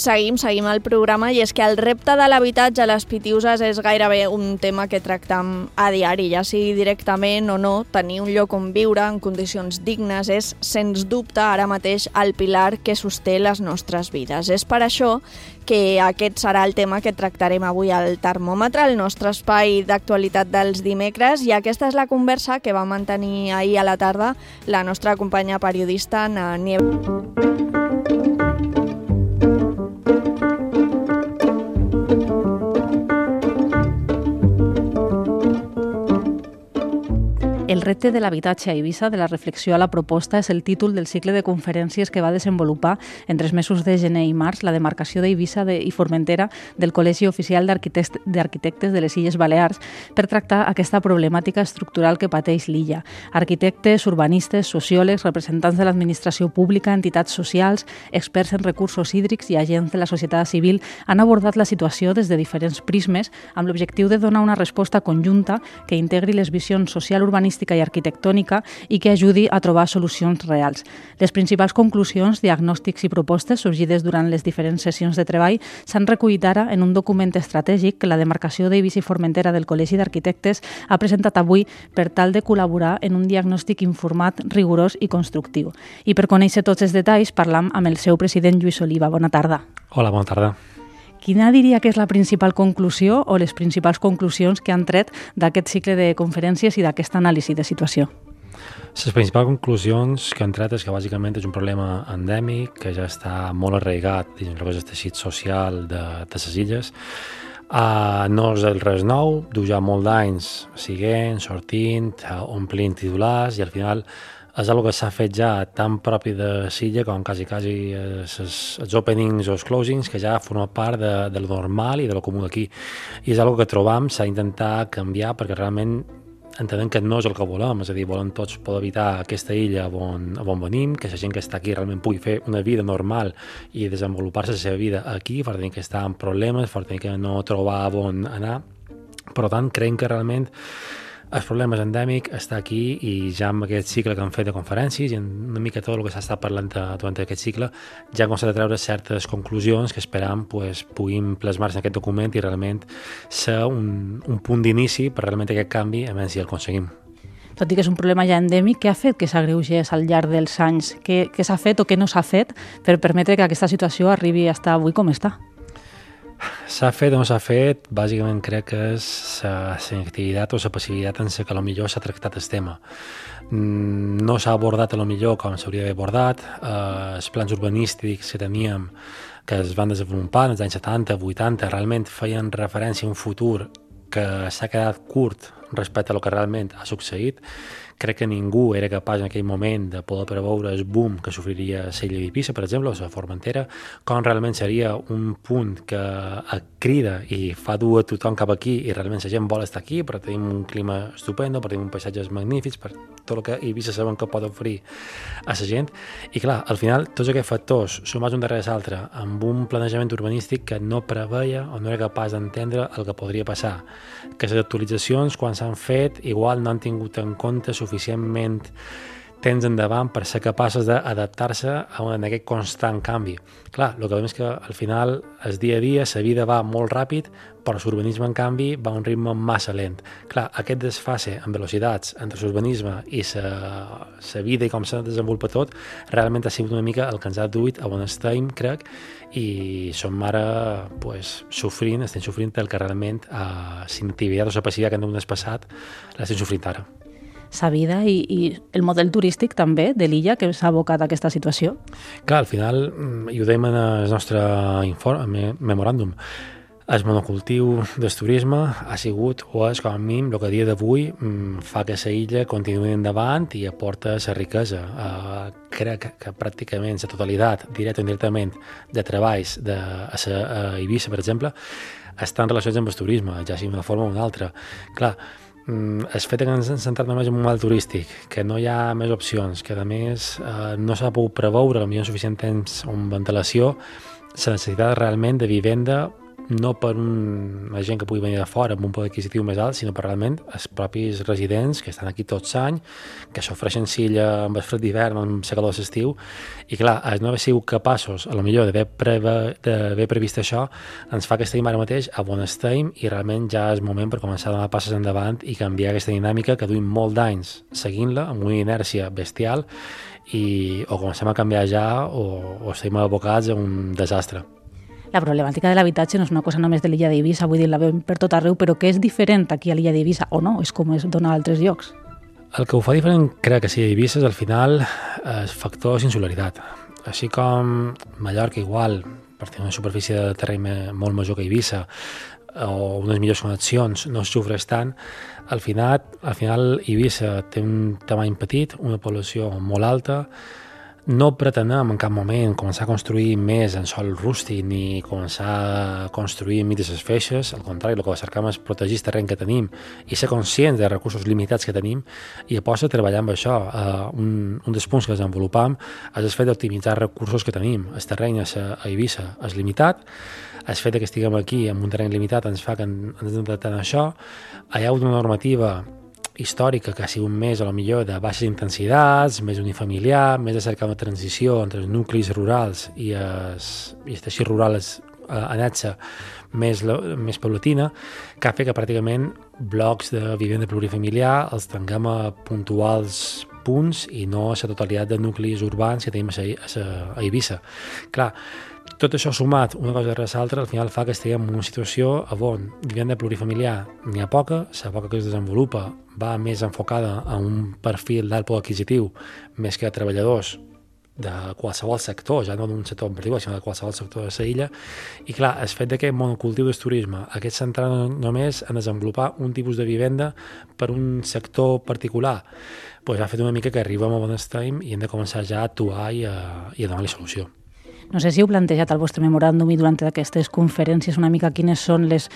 Seguim el programa, i és que el repte de l'habitatge a les Pitiüses és gairebé un tema que tractem a diari, ja sigui directament o no. Tenir un lloc on viure en condicions dignes és, sens dubte, ara mateix el pilar que sosté les nostres vides. És per això que aquest serà el tema que tractarem avui al termòmetre, el nostre espai d'actualitat dels dimecres, i aquesta és la conversa que va mantenir ahir a la tarda la nostra companya periodista, Ana Nieves. El repte de l'habitatge a Eivissa, de la reflexió a la proposta, és el títol del cicle de conferències que va desenvolupar entre els mesos de gener i març la demarcació d'Eivissa i Formentera del Col·legi Oficial d'Arquitectes de les Illes Balears per tractar aquesta problemàtica estructural que pateix l'illa. Arquitectes, urbanistes, sociòlegs, representants de l'administració pública, entitats socials, experts en recursos hídrics i agents de la societat civil han abordat la situació des de diferents prismes amb l'objectiu de donar una resposta conjunta que integri les visions social, urbanística urbanística i arquitectònica i que ajudi a trobar solucions reals. Les principals conclusions, diagnòstics i propostes sorgides durant les diferents sessions de treball s'han recollit ara en un document estratègic que la demarcació d'Eivissa i Formentera del Col·legi d'Arquitectes ha presentat avui per tal de col·laborar en un diagnòstic informat, rigorós i constructiu. I per conèixer tots els detalls parlam amb el seu president Lluís Oliva. Bona tarda. Hola, bona tarda. Quina diria que és la principal conclusió o les principals conclusions que han tret d'aquest cicle de conferències i d'aquesta anàlisi de situació? Les principals conclusions que han tret és que bàsicament és un problema endèmic que ja està molt arraigat dins el que és el teixit social de les illes. No és res nou, du ja molt d'anys siguent, sortint, omplint titulars i al final és una que s'ha fet ja tan propi de Silla com quasi els openings o els closings que ja forma part de lo normal i de lo comú d'aquí. I és una que trobam, s'ha d'intentar canviar perquè realment entenem que no és el que volem, és a dir, volem tots poder evitar aquesta illa on venim, que la gent que està aquí realment pugui fer una vida normal i desenvolupar-se la seva vida aquí, per tenir que estar en problemes, per tenir que no trobar on anar. Per tant, creiem que realment el problema és endèmic, està aquí i ja amb aquest cicle que han fet de conferències i una mica tot el que s'ha estat parlant durant aquest cicle ja han començat a treure certes conclusions que esperam puguin plasmar-se en aquest document i realment ser un punt d'inici per realment aquest canvi, a veure si el aconseguim. Tot i que és un problema ja endèmic, què ha fet que s'agreugés al llarg dels anys? Què s'ha fet o què no s'ha fet per permetre que aquesta situació arribi a estar avui com està? S'ha fet o no s'ha fet, bàsicament crec que és la inactivitat o la passivitat en la que potser s'ha tractat el tema. No s'ha abordat potser com s'hauria d'haver abordat, els plans urbanístics que teníem que es van desenvolupar en els anys 70, 80, realment feien referència a un futur que s'ha quedat curt respecte a lo que realment ha succeït. Crec que ningú era capaç en aquell moment de poder preveure el boom que sofriria la illa d'Eivissa, per exemple, o la Formentera, com realment seria un punt que crida i fa dur a tothom cap aquí i realment la gent vol estar aquí, però tenim un clima estupendo, però tenim paisatges magnífics, per tot el que Eivissa sabem que pot oferir a la gent. I clar, al final, tots aquests factors, sumats un darrere l'altre, amb un planejament urbanístic que no preveia o no era capaç d'entendre el que podria passar, que les actualitzacions, quan s'han fet, igual no han tingut en compte suficientment temps endavant per ser capaces d'adaptar-se a aquest constant canvi. Clar, el que veiem és que al final, el dia a dia, la vida va molt ràpid, però l'urbanisme, en canvi, va a un ritme massa lent. Clar, aquest desfase en velocitats entre l'urbanisme i la vida i com se desenvolupa tot, realment ha sigut una mica el que ens ha duit a on estem, crec, i som ara estem sofrint el que realment la inactivitat o la passivitat que hem passat l'estem sofrint ara. Sa vida i el model turístic també de l'illa que s'ha abocat a aquesta situació? Clar, al final, i ho dèiem en el nostre memoràndum, el monocultiu del turisme ha sigut o és com a mínim el que a dia d'avui fa que la illa continuï endavant i aporta la riquesa. Crec que pràcticament la totalitat, directe o indirectament, de treballs a Eivissa, per exemple, estan relacionats amb el turisme, ja sigui d'una forma o d'una altra. Clar, el fet que ens hem centrat només en un model turístic, que no hi ha més opcions, que a més no s'ha pogut preveure potser suficient temps o amb ventilació, la necessitat realment de vivenda no per una gent que pugui venir de fora amb un poder adquisitiu més alt, sinó per realment els propis residents que estan aquí tots l'any, que s'ofereixen silla amb el fred d'hivern, amb la calor de l'estiu, i clar, el no haver sigut capaços, a lo millor d'haver previst això, ens fa que estem ara mateix a on estem i realment ja és moment per començar a donar passes endavant i canviar aquesta dinàmica que duim molt d'anys seguint-la amb una inèrcia bestial i o comencem a canviar ja o estem abocats a un desastre. La problemàtica de l'habitatge no és una cosa només de l'illa d'Eivissa, vull dir, la veiem per tot arreu, però què és diferent aquí a l'illa d'Eivissa o no? És com es dona a altres llocs. El que ho fa diferent, crec que sí, a Eivissa és al final el factor insularitat. Així com Mallorca igual, per tenir una superfície de terreny molt major que Eivissa, o unes millors connexions, no es sofreix tant, al final Eivissa té un tamany petit, una població molt alta. No pretenem en cap moment començar a construir més en sòl rústic ni començar a construir enmig de les feixes. Al contrari, el que cercam és protegir el terreny que tenim i ser conscients dels recursos limitats que tenim i aposta a treballar amb això. Un dels punts que desenvolupam és el fet d'optimitzar els recursos que tenim. El terreny a Eivissa és limitat, el fet que estiguem aquí amb un terreny limitat ens fa que ens adaptem a això. Hi ha una normativa històrica que ha sigut més, a lo millor, de baixes intensitats, més unifamiliar, més de cercar una transició entre els nuclis rurals i el teixit rural anexa més paulatina, que ha fet que pràcticament blocs de vivenda plurifamiliar els tinguem a puntuals punts i no a la totalitat de nuclis urbans que tenim a Eivissa. Clar, tot això sumat, una cosa darrere l'altra, al final fa que estiguem en una situació on vivenda plurifamiliar n'hi ha poca, la poca que es desenvolupa va més enfocada a un perfil d'alt poder adquisitiu més que a treballadors de qualsevol sector, ja no d'un sector en particular, sinó de qualsevol sector de la illa, i clar, el fet d'aquest monocultiu del turisme, aquest centrar només en desenvolupar un tipus de vivenda per un sector particular, doncs ha fet una mica que arribem a bon estem i hem de començar ja a actuar i a donar-li solució. No sé si heu plantejat al vostre memoràndum i durant aquestes conferències una mica quines són les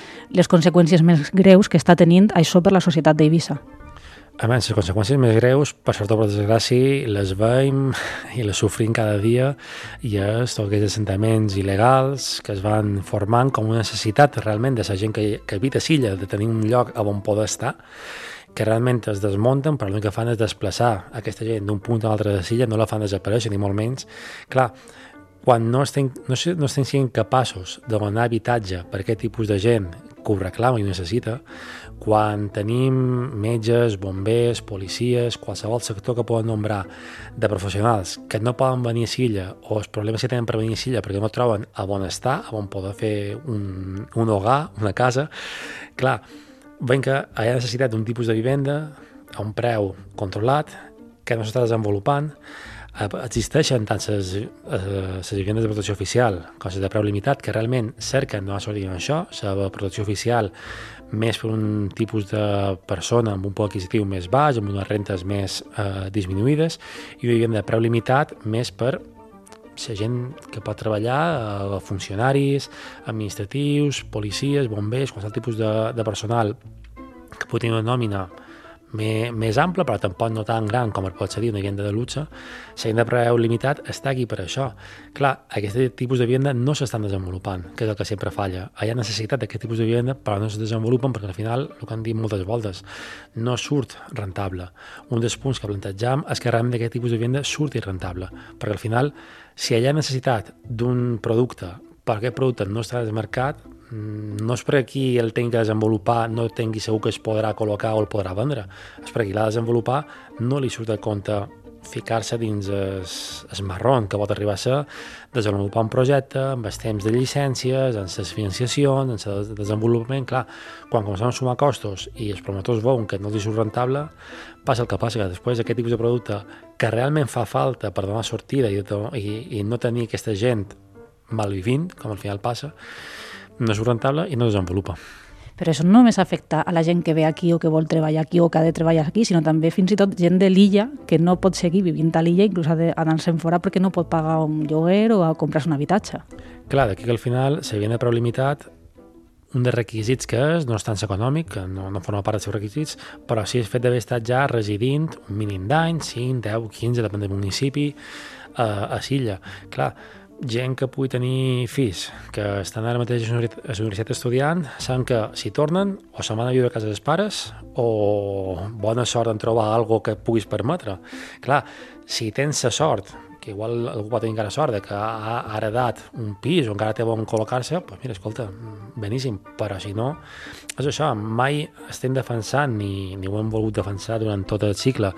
conseqüències més greus que està tenint això per la societat d'Eivissa. A més, les conseqüències més greus, per sort o per desgràcia, les veiem i les sofrim cada dia, i és tots aquests assentaments il·legals que es van formant com una necessitat realment de la gent que habita a l'illa, de tenir un lloc on poder estar, que realment es desmunten, però l'únic que fan és desplaçar aquesta gent d'un punt a l'altre de l'illa, no la fan desaparèixer, ni molt menys. Clar, quan no estem sent capaços de donar habitatge per aquest tipus de gent que ho reclama i ho necessita, quan tenim metges, bombers, policies, qualsevol sector que poden nombrar de professionals que no poden venir a l'illa o els problemes que tenen per venir a l'illa perquè no troben a on estar, a on poder fer un hogar, una casa, clar, veiem que hi ha necessitat d'un tipus de vivenda a un preu controlat que no s'està desenvolupant. Existeixen tant les vivendes de protecció oficial com les de preu limitat que realment cerquen donar sort en això, la protecció oficial més per un tipus de persona amb un poder adquisitiu més baix, amb unes rentes més disminuïdes, i una vivenda de preu limitat més per la gent que pot treballar, funcionaris, administratius, policies, bombers, qualsevol tipus de personal que pugui tenir una nòmina més ampla, però tampoc no tan gran com pot ser una vivenda de luxe. La vivenda de preu limitat està aquí per això. Clar, aquest tipus de vivenda no s'estan desenvolupant, que és el que sempre falla. Hi ha necessitat d'aquest tipus de vivenda, però no es desenvolupen perquè al final, el que han dit moltes voltes, no surt rentable. Un dels punts que plantejam és que realment aquest tipus de vivenda surti rentable, perquè al final, si hi ha necessitat d'un producte, per aquest producte no està al mercat, no és per qui el tingui que desenvolupar no tingui segur que es podrà col·locar o el podrà vendre, és per qui l'ha de desenvolupar no li surt a compte ficar-se dins el marron que pot arribar a ser desenvolupar un projecte amb els temps de llicències, amb les financiacions, amb el desenvolupament. Clar, quan comencem a sumar costos i els promotors veuen que no els surt rentable, passa el que passa, que després aquest tipus de producte que realment fa falta per donar sortida i no tenir aquesta gent malvivint, com al final passa, no és rentable i no desenvolupa. Però això no només afecta a la gent que ve aquí o que vol treballar aquí o que ha de treballar aquí, sinó també fins i tot gent de l'illa que no pot seguir vivint a l'illa, inclús ha d'anar-se'n fora perquè no pot pagar un lloguer o a comprar-se un habitatge. Clar, d'aquí que al final, si havien de preu limitat, un dels requisits que no és tan econòmic, que no forma part dels seus requisits, però sí el fet d'haver estat ja residint un mínim d'anys, 5, 10, 15, depèn del municipi, a l'illa. Clar, gent que pugui tenir fills que estan ara mateix a la universitat estudiant saben que si tornen o se'n van a viure a casa dels pares o bona sort en trobar alguna que puguis permetre. Clar, si tens la sort, que igual algú pot tenir encara sort de que ha heredat un pis o encara té on col·locar-se, doncs mira, escolta, beníssim, però si no, és això, mai estem defensant ni ho hem volgut defensar durant tot el cicle,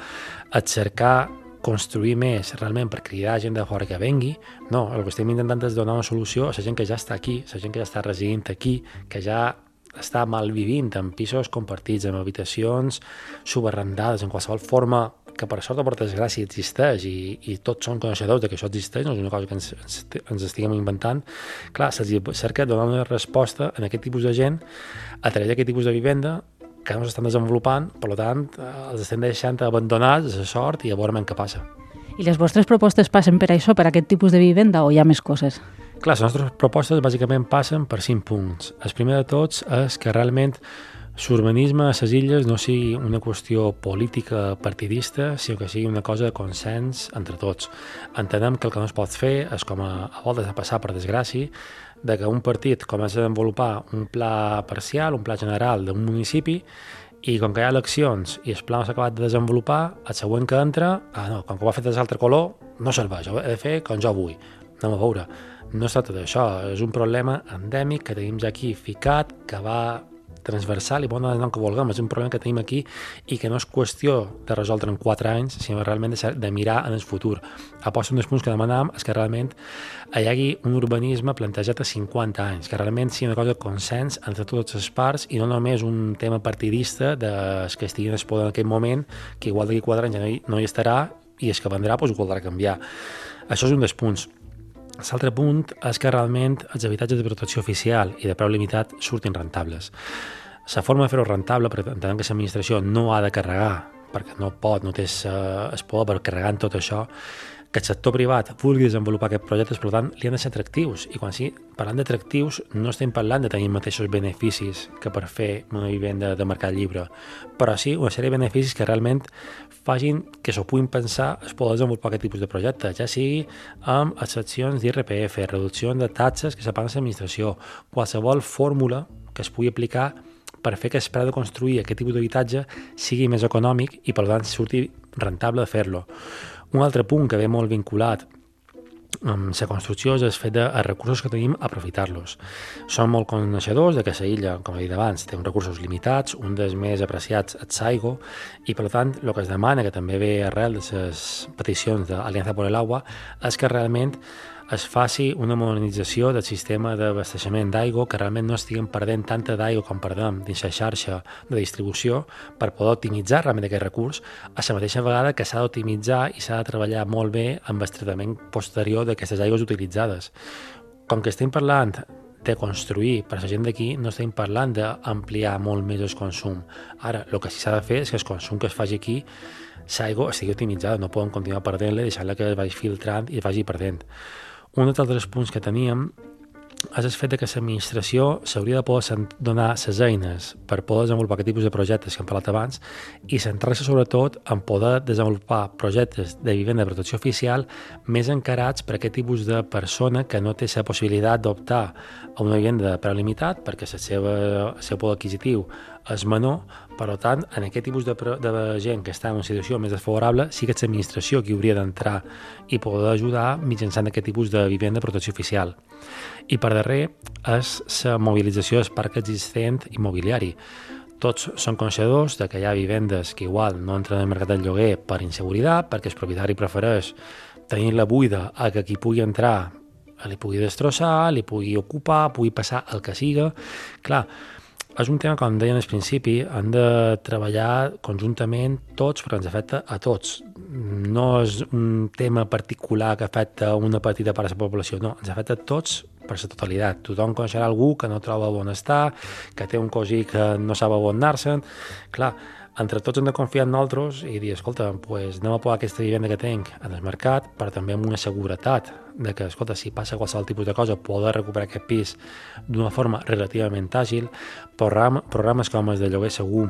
et cercar construir més realment per cridar gent de fora que vengui. No, el que estem intentant és donar una solució a la gent que ja està aquí, a la gent que ja està residint aquí, que ja està malvivint en pisos compartits, en habitacions subarrendades, en qualsevol forma que per sort o per desgràcia existeix i tots són coneixedors de que això existeix, no és una cosa que ens estiguem inventant. Clar, se'ls cerca donar una resposta a aquest tipus de gent a través d'aquest tipus de vivenda que no s'estan desenvolupant, per tant, els estem deixant abandonats a la sort i a veure què passa. I les vostres propostes passen per això, per aquest tipus de vivenda, o hi ha més coses? Clar, les nostres propostes bàsicament passen per 5 punts. El primer de tots és que realment l'urbanisme a les illes no sigui una qüestió política partidista, sinó que sigui una cosa de consens entre tots. Entenem que el que no es pot fer és, com a voltes de passar per desgràcia, de que un partit comença a desenvolupar un pla parcial, un pla general d'un municipi I com que hi ha eleccions i el pla no s'ha acabat de desenvolupar, el següent que entra, com que ho ha fet d'altre color, no serveix, ho he de fer com jo vull. Anem a veure, no es tracta d'això, és un problema endèmic que tenim ja aquí ficat, que va transversal i bon el nom que vulguem, és un problema que tenim aquí i que no és qüestió de resoldre en 4 anys, sinó realment de mirar en el futur. Aposta un dels punts que demanàvem és que realment hi hagi un urbanisme plantejat a 50 anys, que realment sigui una cosa de consens entre totes les parts i no només un tema partidista dels que estiguin al poder en aquell moment, que igual d'aquí 4 anys ja no hi estarà i el que vendrà ho voldrà canviar. Això és un dels punts. L'altre punt és que realment els habitatges de protecció oficial i de preu limitat surtin rentables. La forma de fer-ho rentable, perquè entenem que l'administració no ha de carregar, perquè no té el poder per carregar en tot això, que el sector privat vulgui desenvolupar aquests projectes, per tant, li han de ser atractius. I quan parlant d'atractius, no estem parlant de tenir mateixos beneficis que per fer una vivenda de mercat lliure, però sí una sèrie de beneficis que realment facin que s'ho puguin pensar es poder desenvolupar aquest tipus de projecte, ja sigui amb excepcions d'IRPF, reduccions de taxes que separen l'administració, qualsevol fórmula que es pugui aplicar per fer que el preu de construir aquest tipus d'habitatge sigui més econòmic i per tant surti rentable de fer-lo. Un altre punt que ve molt vinculat amb la construcció és el fet de els recursos que tenim aprofitar-los. Som molt coneixedors de que la illa, com he dit abans, té uns recursos limitats, un dels més apreciats és l'aigua, i per tant el que es demana, que també ve arrel de les peticions d'Aliança por el Agua, és que realment es faci una modernització del sistema d'abasteixement d'aigua, que realment no estiguem perdent tanta d'aigua com perdem dins la xarxa de distribució per poder optimitzar realment aquest recurs, a la mateixa vegada que s'ha d'optimitzar i s'ha de treballar molt bé amb el tractament posterior d'aquestes aigües utilitzades. Com que estem parlant de construir per a la gent d'aquí, no estem parlant d'ampliar molt més el consum. Ara, el que sí s'ha de fer és que el consum que es faci aquí, l'aigua estigui optimitzada, no podem continuar perdent-la, deixant-la que es vagi filtrant i es vagi perdent. Un dels altres punts que teníem és el fet que l'administració s'hauria de poder donar les eines per poder desenvolupar aquest tipus de projectes que hem parlat abans i centrar-se sobretot en poder desenvolupar projectes de vivenda de protecció oficial més encarats per aquest tipus de persona que no té la possibilitat d'optar a una vivenda de preu limitat perquè el seu poder adquisitiu és menor. Per tant, en aquest tipus de gent que està en una situació més desfavorable, sí que és l'administració qui hauria d'entrar i poder ajudar mitjançant aquest tipus de vivenda de protecció oficial. I per darrer és la mobilització del parc existent immobiliari. Tots són coneixedors de que hi ha vivendes que igual no entren al mercat del lloguer per inseguretat, perquè el propietari prefereix tenir-la buida a que qui pugui entrar li pugui destrossar, li pugui ocupar, pugui passar el que siga. Clar, és un tema, com deien al principi, han de treballar conjuntament tots perquè ens afecta a tots. No és un tema particular que afecta una petita part de la població, no, ens afecta a tots per la totalitat. Tothom coneixerà algú que no troba on estar, que té un cosí que no sap on anar-se'n. Clar, entre tots hem de confiar en nosaltres i dir, escolta, pues anem a posar aquesta vivenda que tinc en el mercat, però també amb una seguretat de que, escolta, si passa qualsevol tipus de cosa, poder recuperar aquest pis d'una forma relativament àgil. Programes com els de lloguer segur,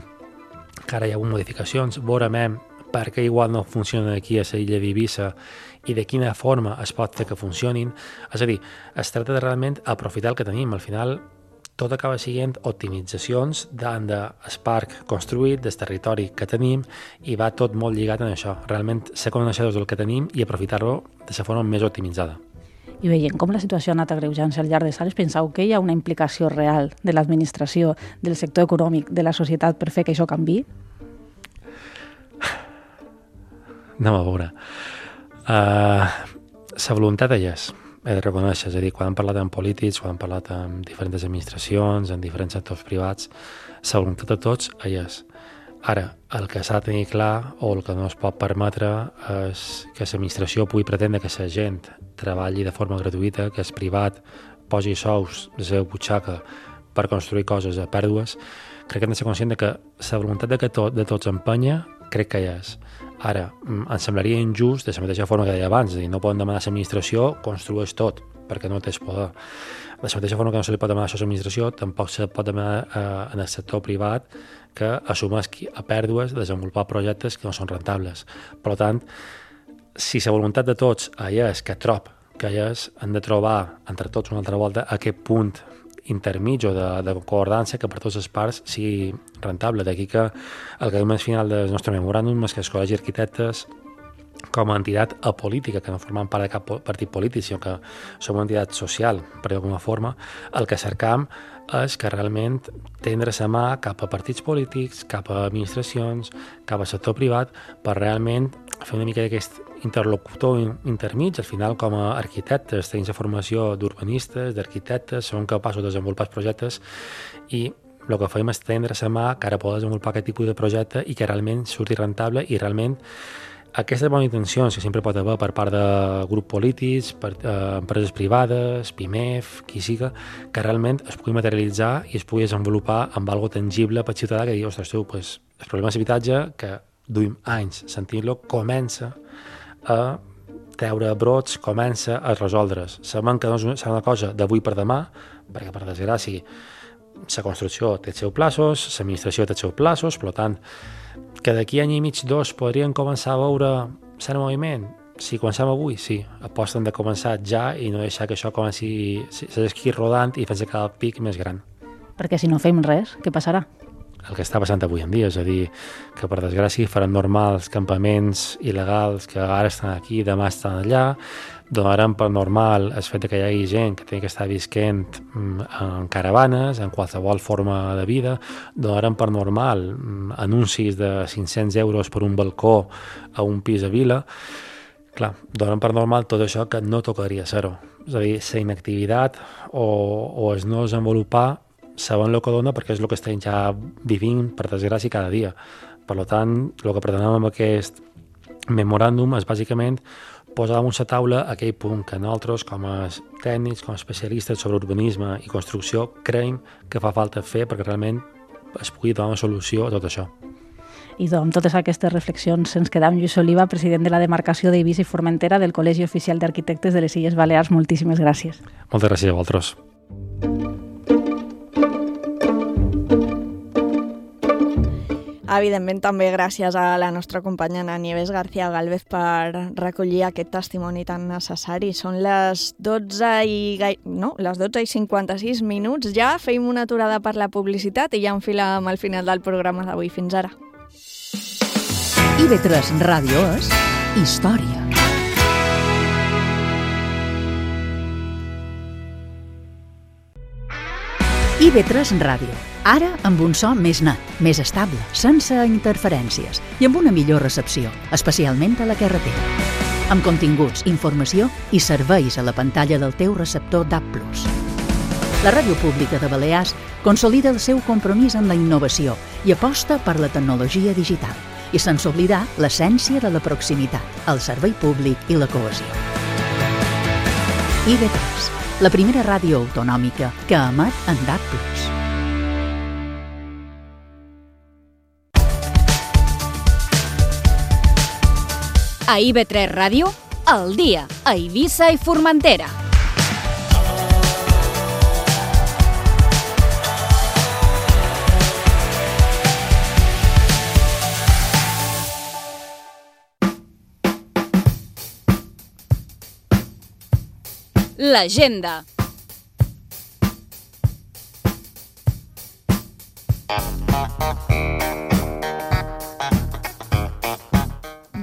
que ara hi ha hagut modificacions, veurem per què igual no funcionen aquí a l'illa d'Eivissa i de quina forma es pot fer que funcionin. És a dir, es tracta de realment aprofitar el que tenim. Al final, tot acaba sent optimitzacions del parc construït, del territori que tenim, i va tot molt lligat en això. Realment ser coneixedors del que tenim i aprofitar-lo de la forma més optimitzada. I veient com la situació ha anat agreujant-se al llarg dels anys, penseu que hi ha una implicació real de l'administració, del sector econòmic, de la societat per fer que això canviï? Anem a veure. La voluntat hi és. He de reconèixer, és a dir, quan hem parlat amb polítics, quan hem parlat amb diferents administracions, en diferents sectors privats, la voluntat de tots hi és. Ara, el que s'ha de tenir clar o el que no es pot permetre és que l'administració pugui pretendre que la gent treballi de forma gratuïta, que el privat posi sous de la seva butxaca per construir coses a pèrdues. Crec que hem de ser conscient que la voluntat de tots empenya, crec que hi és. Ara, em semblaria injust, de la mateixa forma que deia abans, és a dir, no poden demanar a l'administració construeix tot, perquè no té poder. De la mateixa forma que no se li pot demanar això a l'administració, tampoc se pot demanar en el sector privat que assumeixi a pèrdues de desenvolupar projectes que no són rentables. Per tant, si la voluntat de tots hi és, que trob que hi és, hem de trobar entre tots una altra volta aquest punt intermig o de concordança que per totes les parts sigui rentable. D'aquí que el que al final del nostre memoràndum és que el Col·legi d'Arquitectes, com a entitat apolítica, que no formem part de cap partit polític, sinó que som una entitat social, per d'alguna forma, el que cercam és que realment tendre la mà cap a partits polítics, cap a administracions, cap al sector privat, per realment fer una mica d'aquest interlocutor intermig. Al final, com a arquitectes, tenim la formació d'urbanistes, d'arquitectes, som capaços de desenvolupar projectes i el que fem és tendre la mà que ara poder desenvolupar aquest tipus de projecte i que realment surti rentable i realment aquestes bones intencions que sempre pot haver per part de grups polítics, per empreses privades, PIMEF, qui siga, que realment es pugui materialitzar i es pugui desenvolupar amb algo tangible per ciutadà que digui, ostres, tu, pues, el problema d'habitatge, que duim anys sentint-lo, comença a treure brots, comença a resoldre's. Sabem que no és una cosa d'avui per demà, perquè per desgràcia la construcció té els seus plaços, l'administració té els seus plaços, per tant, que d'aquí any i mig, dos, podrien començar a veure cert moviment? Si comencem avui, sí. Aposten de començar ja i no deixar que això comenci a esquir rodant i fer-se cada pic més gran. Perquè si no fem res, què passarà? El que està passant avui en dia, és a dir, que per desgràcia faran normals campaments il·legals que ara estan aquí, demà estan allà, donarem per normal el fet que hi hagi gent que té que estar visquent en caravanes, en qualsevol forma de vida, donarem per normal anuncis de 500 euros per un balcó a un pis a Vila. Clar, donem per normal tot això que no tocaria ser-ho. És a dir, la inactivitat o el no desenvolupar sabem el que dona perquè és el que estem ja vivint, per desgràcia, cada dia. Per tant, el que pretenem amb aquest memoràndum és bàsicament posar damunt la taula aquell punt que nosaltres, com a tècnics, com a especialistes sobre urbanisme i construcció, creiem que fa falta fer perquè realment es pugui donar una solució a tot això. I amb totes aquestes reflexions ens queda amb Lluís Oliva, president de la demarcació d'Eivissa i Formentera del Col·legi Oficial d'Arquitectes de les Illes Balears. Moltíssimes gràcies. Moltes gràcies a vosaltres. Evidentment, també gràcies a la nostra companya Nieves García Gálvez per recollir aquest testimoni tan necessari. Són les 12:56 minuts. Ja feim una aturada per la publicitat i ja enfilem al final del programa d'avui. Fins ara. IB3 Ràdio és història. IB3 Ràdio. Ara amb un so més net, més estable, sense interferències i amb una millor recepció, especialment a la carretera. Amb continguts, informació i serveis a la pantalla del teu receptor DAB+. La Ràdio Pública de Balears consolida el seu compromís amb la innovació i aposta per la tecnologia digital i sense oblidar l'essència de la proximitat, el servei públic i la cohesió. IB3, la primera ràdio autonòmica que emet en DAB+. A IB3 Ràdio, al dia, a Eivissa i Formentera. L'agenda.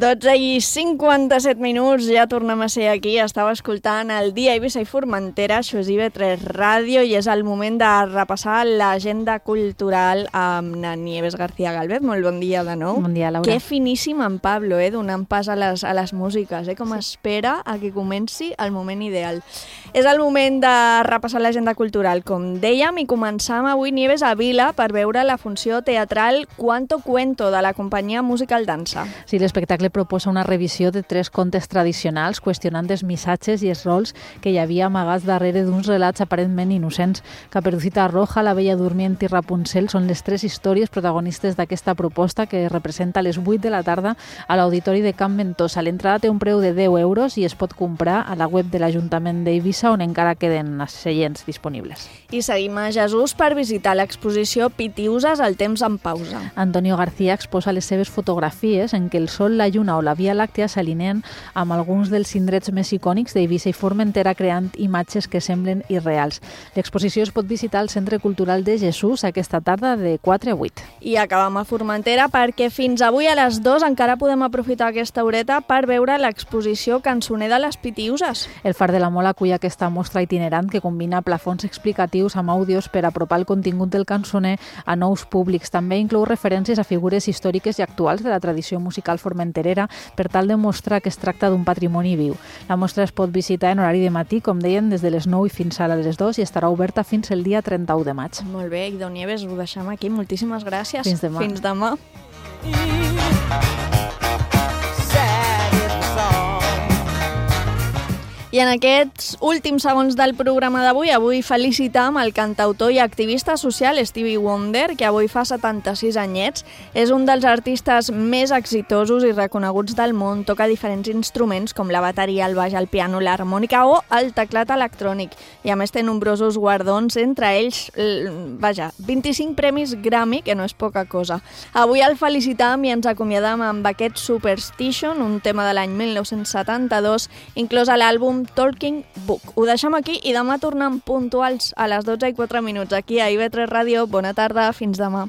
I 57 minuts, ja tornem a ser aquí. Estava escoltant el Dia Eivissa i Formentera, això és IB3 Ràdio, i és el moment de repassar l'agenda cultural amb la Nieves García Gálvez. Molt bon dia de nou. Bon dia, Laura. Que finíssim en Pablo, donant pas a les músiques, com espera a que comenci el moment ideal. És el moment de repassar l'agenda cultural, com dèiem, i començam avui, Nieves, a Vila per veure la funció teatral Cuanto Cuento de la companyia Musical Dansa. Sí, l'espectacle proposa una revisió de 3 contes tradicionals qüestionant els missatges i els rols que hi havia amagats darrere d'uns relats aparentment innocents. Caperucita Roja, La Bella Durmient i Rapunzel són les 3 històries protagonistes d'aquesta proposta que representa a les 8 de la tarda a l'Auditori de Can Ventosa. L'entrada té un preu de 10 euros i es pot comprar a la web de l'Ajuntament d'Eivissa, on encara queden seients disponibles. I seguim a Jesús per visitar l'exposició Pitiuses, el temps en pausa. Antonio García exposa les seves fotografies en què el sol, la Lluna o la Via Làctia s'alineen amb alguns dels indrets més icònics d'Eivissa i Formentera, creant imatges que semblen irreals. L'exposició es pot visitar al Centre Cultural de Jesús aquesta tarda de 4 a 8. I acabam a Formentera perquè fins avui a les 2 encara podem aprofitar aquesta horeta per veure l'exposició Cançoner de les Pitiuses. El Far de la Mola acull aquesta mostra itinerant que combina plafons explicatius amb àudios per apropar el contingut del cançoner a nous públics. També inclou referències a figures històriques i actuals de la tradició musical formenterera per tal de mostrar que es tracta d'un patrimoni viu. La mostra es pot visitar en horari de matí, com deien, des de les 9 i fins a les 2 i estarà oberta fins el dia 31 de maig. Molt bé, Idò Nieves, ho deixem aquí. Moltíssimes gràcies. Fins demà. Fins demà. I en aquests últims segons del programa d'avui, avui felicitam el cantautor i activista social Stevie Wonder, que avui fa 76 anyets. És un dels artistes més exitosos i reconeguts del món. Toca diferents instruments com la bateria, el baix, el piano, l'harmònica o el teclat electrònic. I a més té nombrosos guardons, entre ells, 25 premis Grammy, que no és poca cosa. Avui el felicitam i ens acomiadam amb aquest Superstition, un tema de l'any 1972, inclòs a l'àlbum Talking Book. Ho deixem aquí i demà tornem puntuals a les 12:04 aquí a IB3 Ràdio. Bona tarda, fins demà.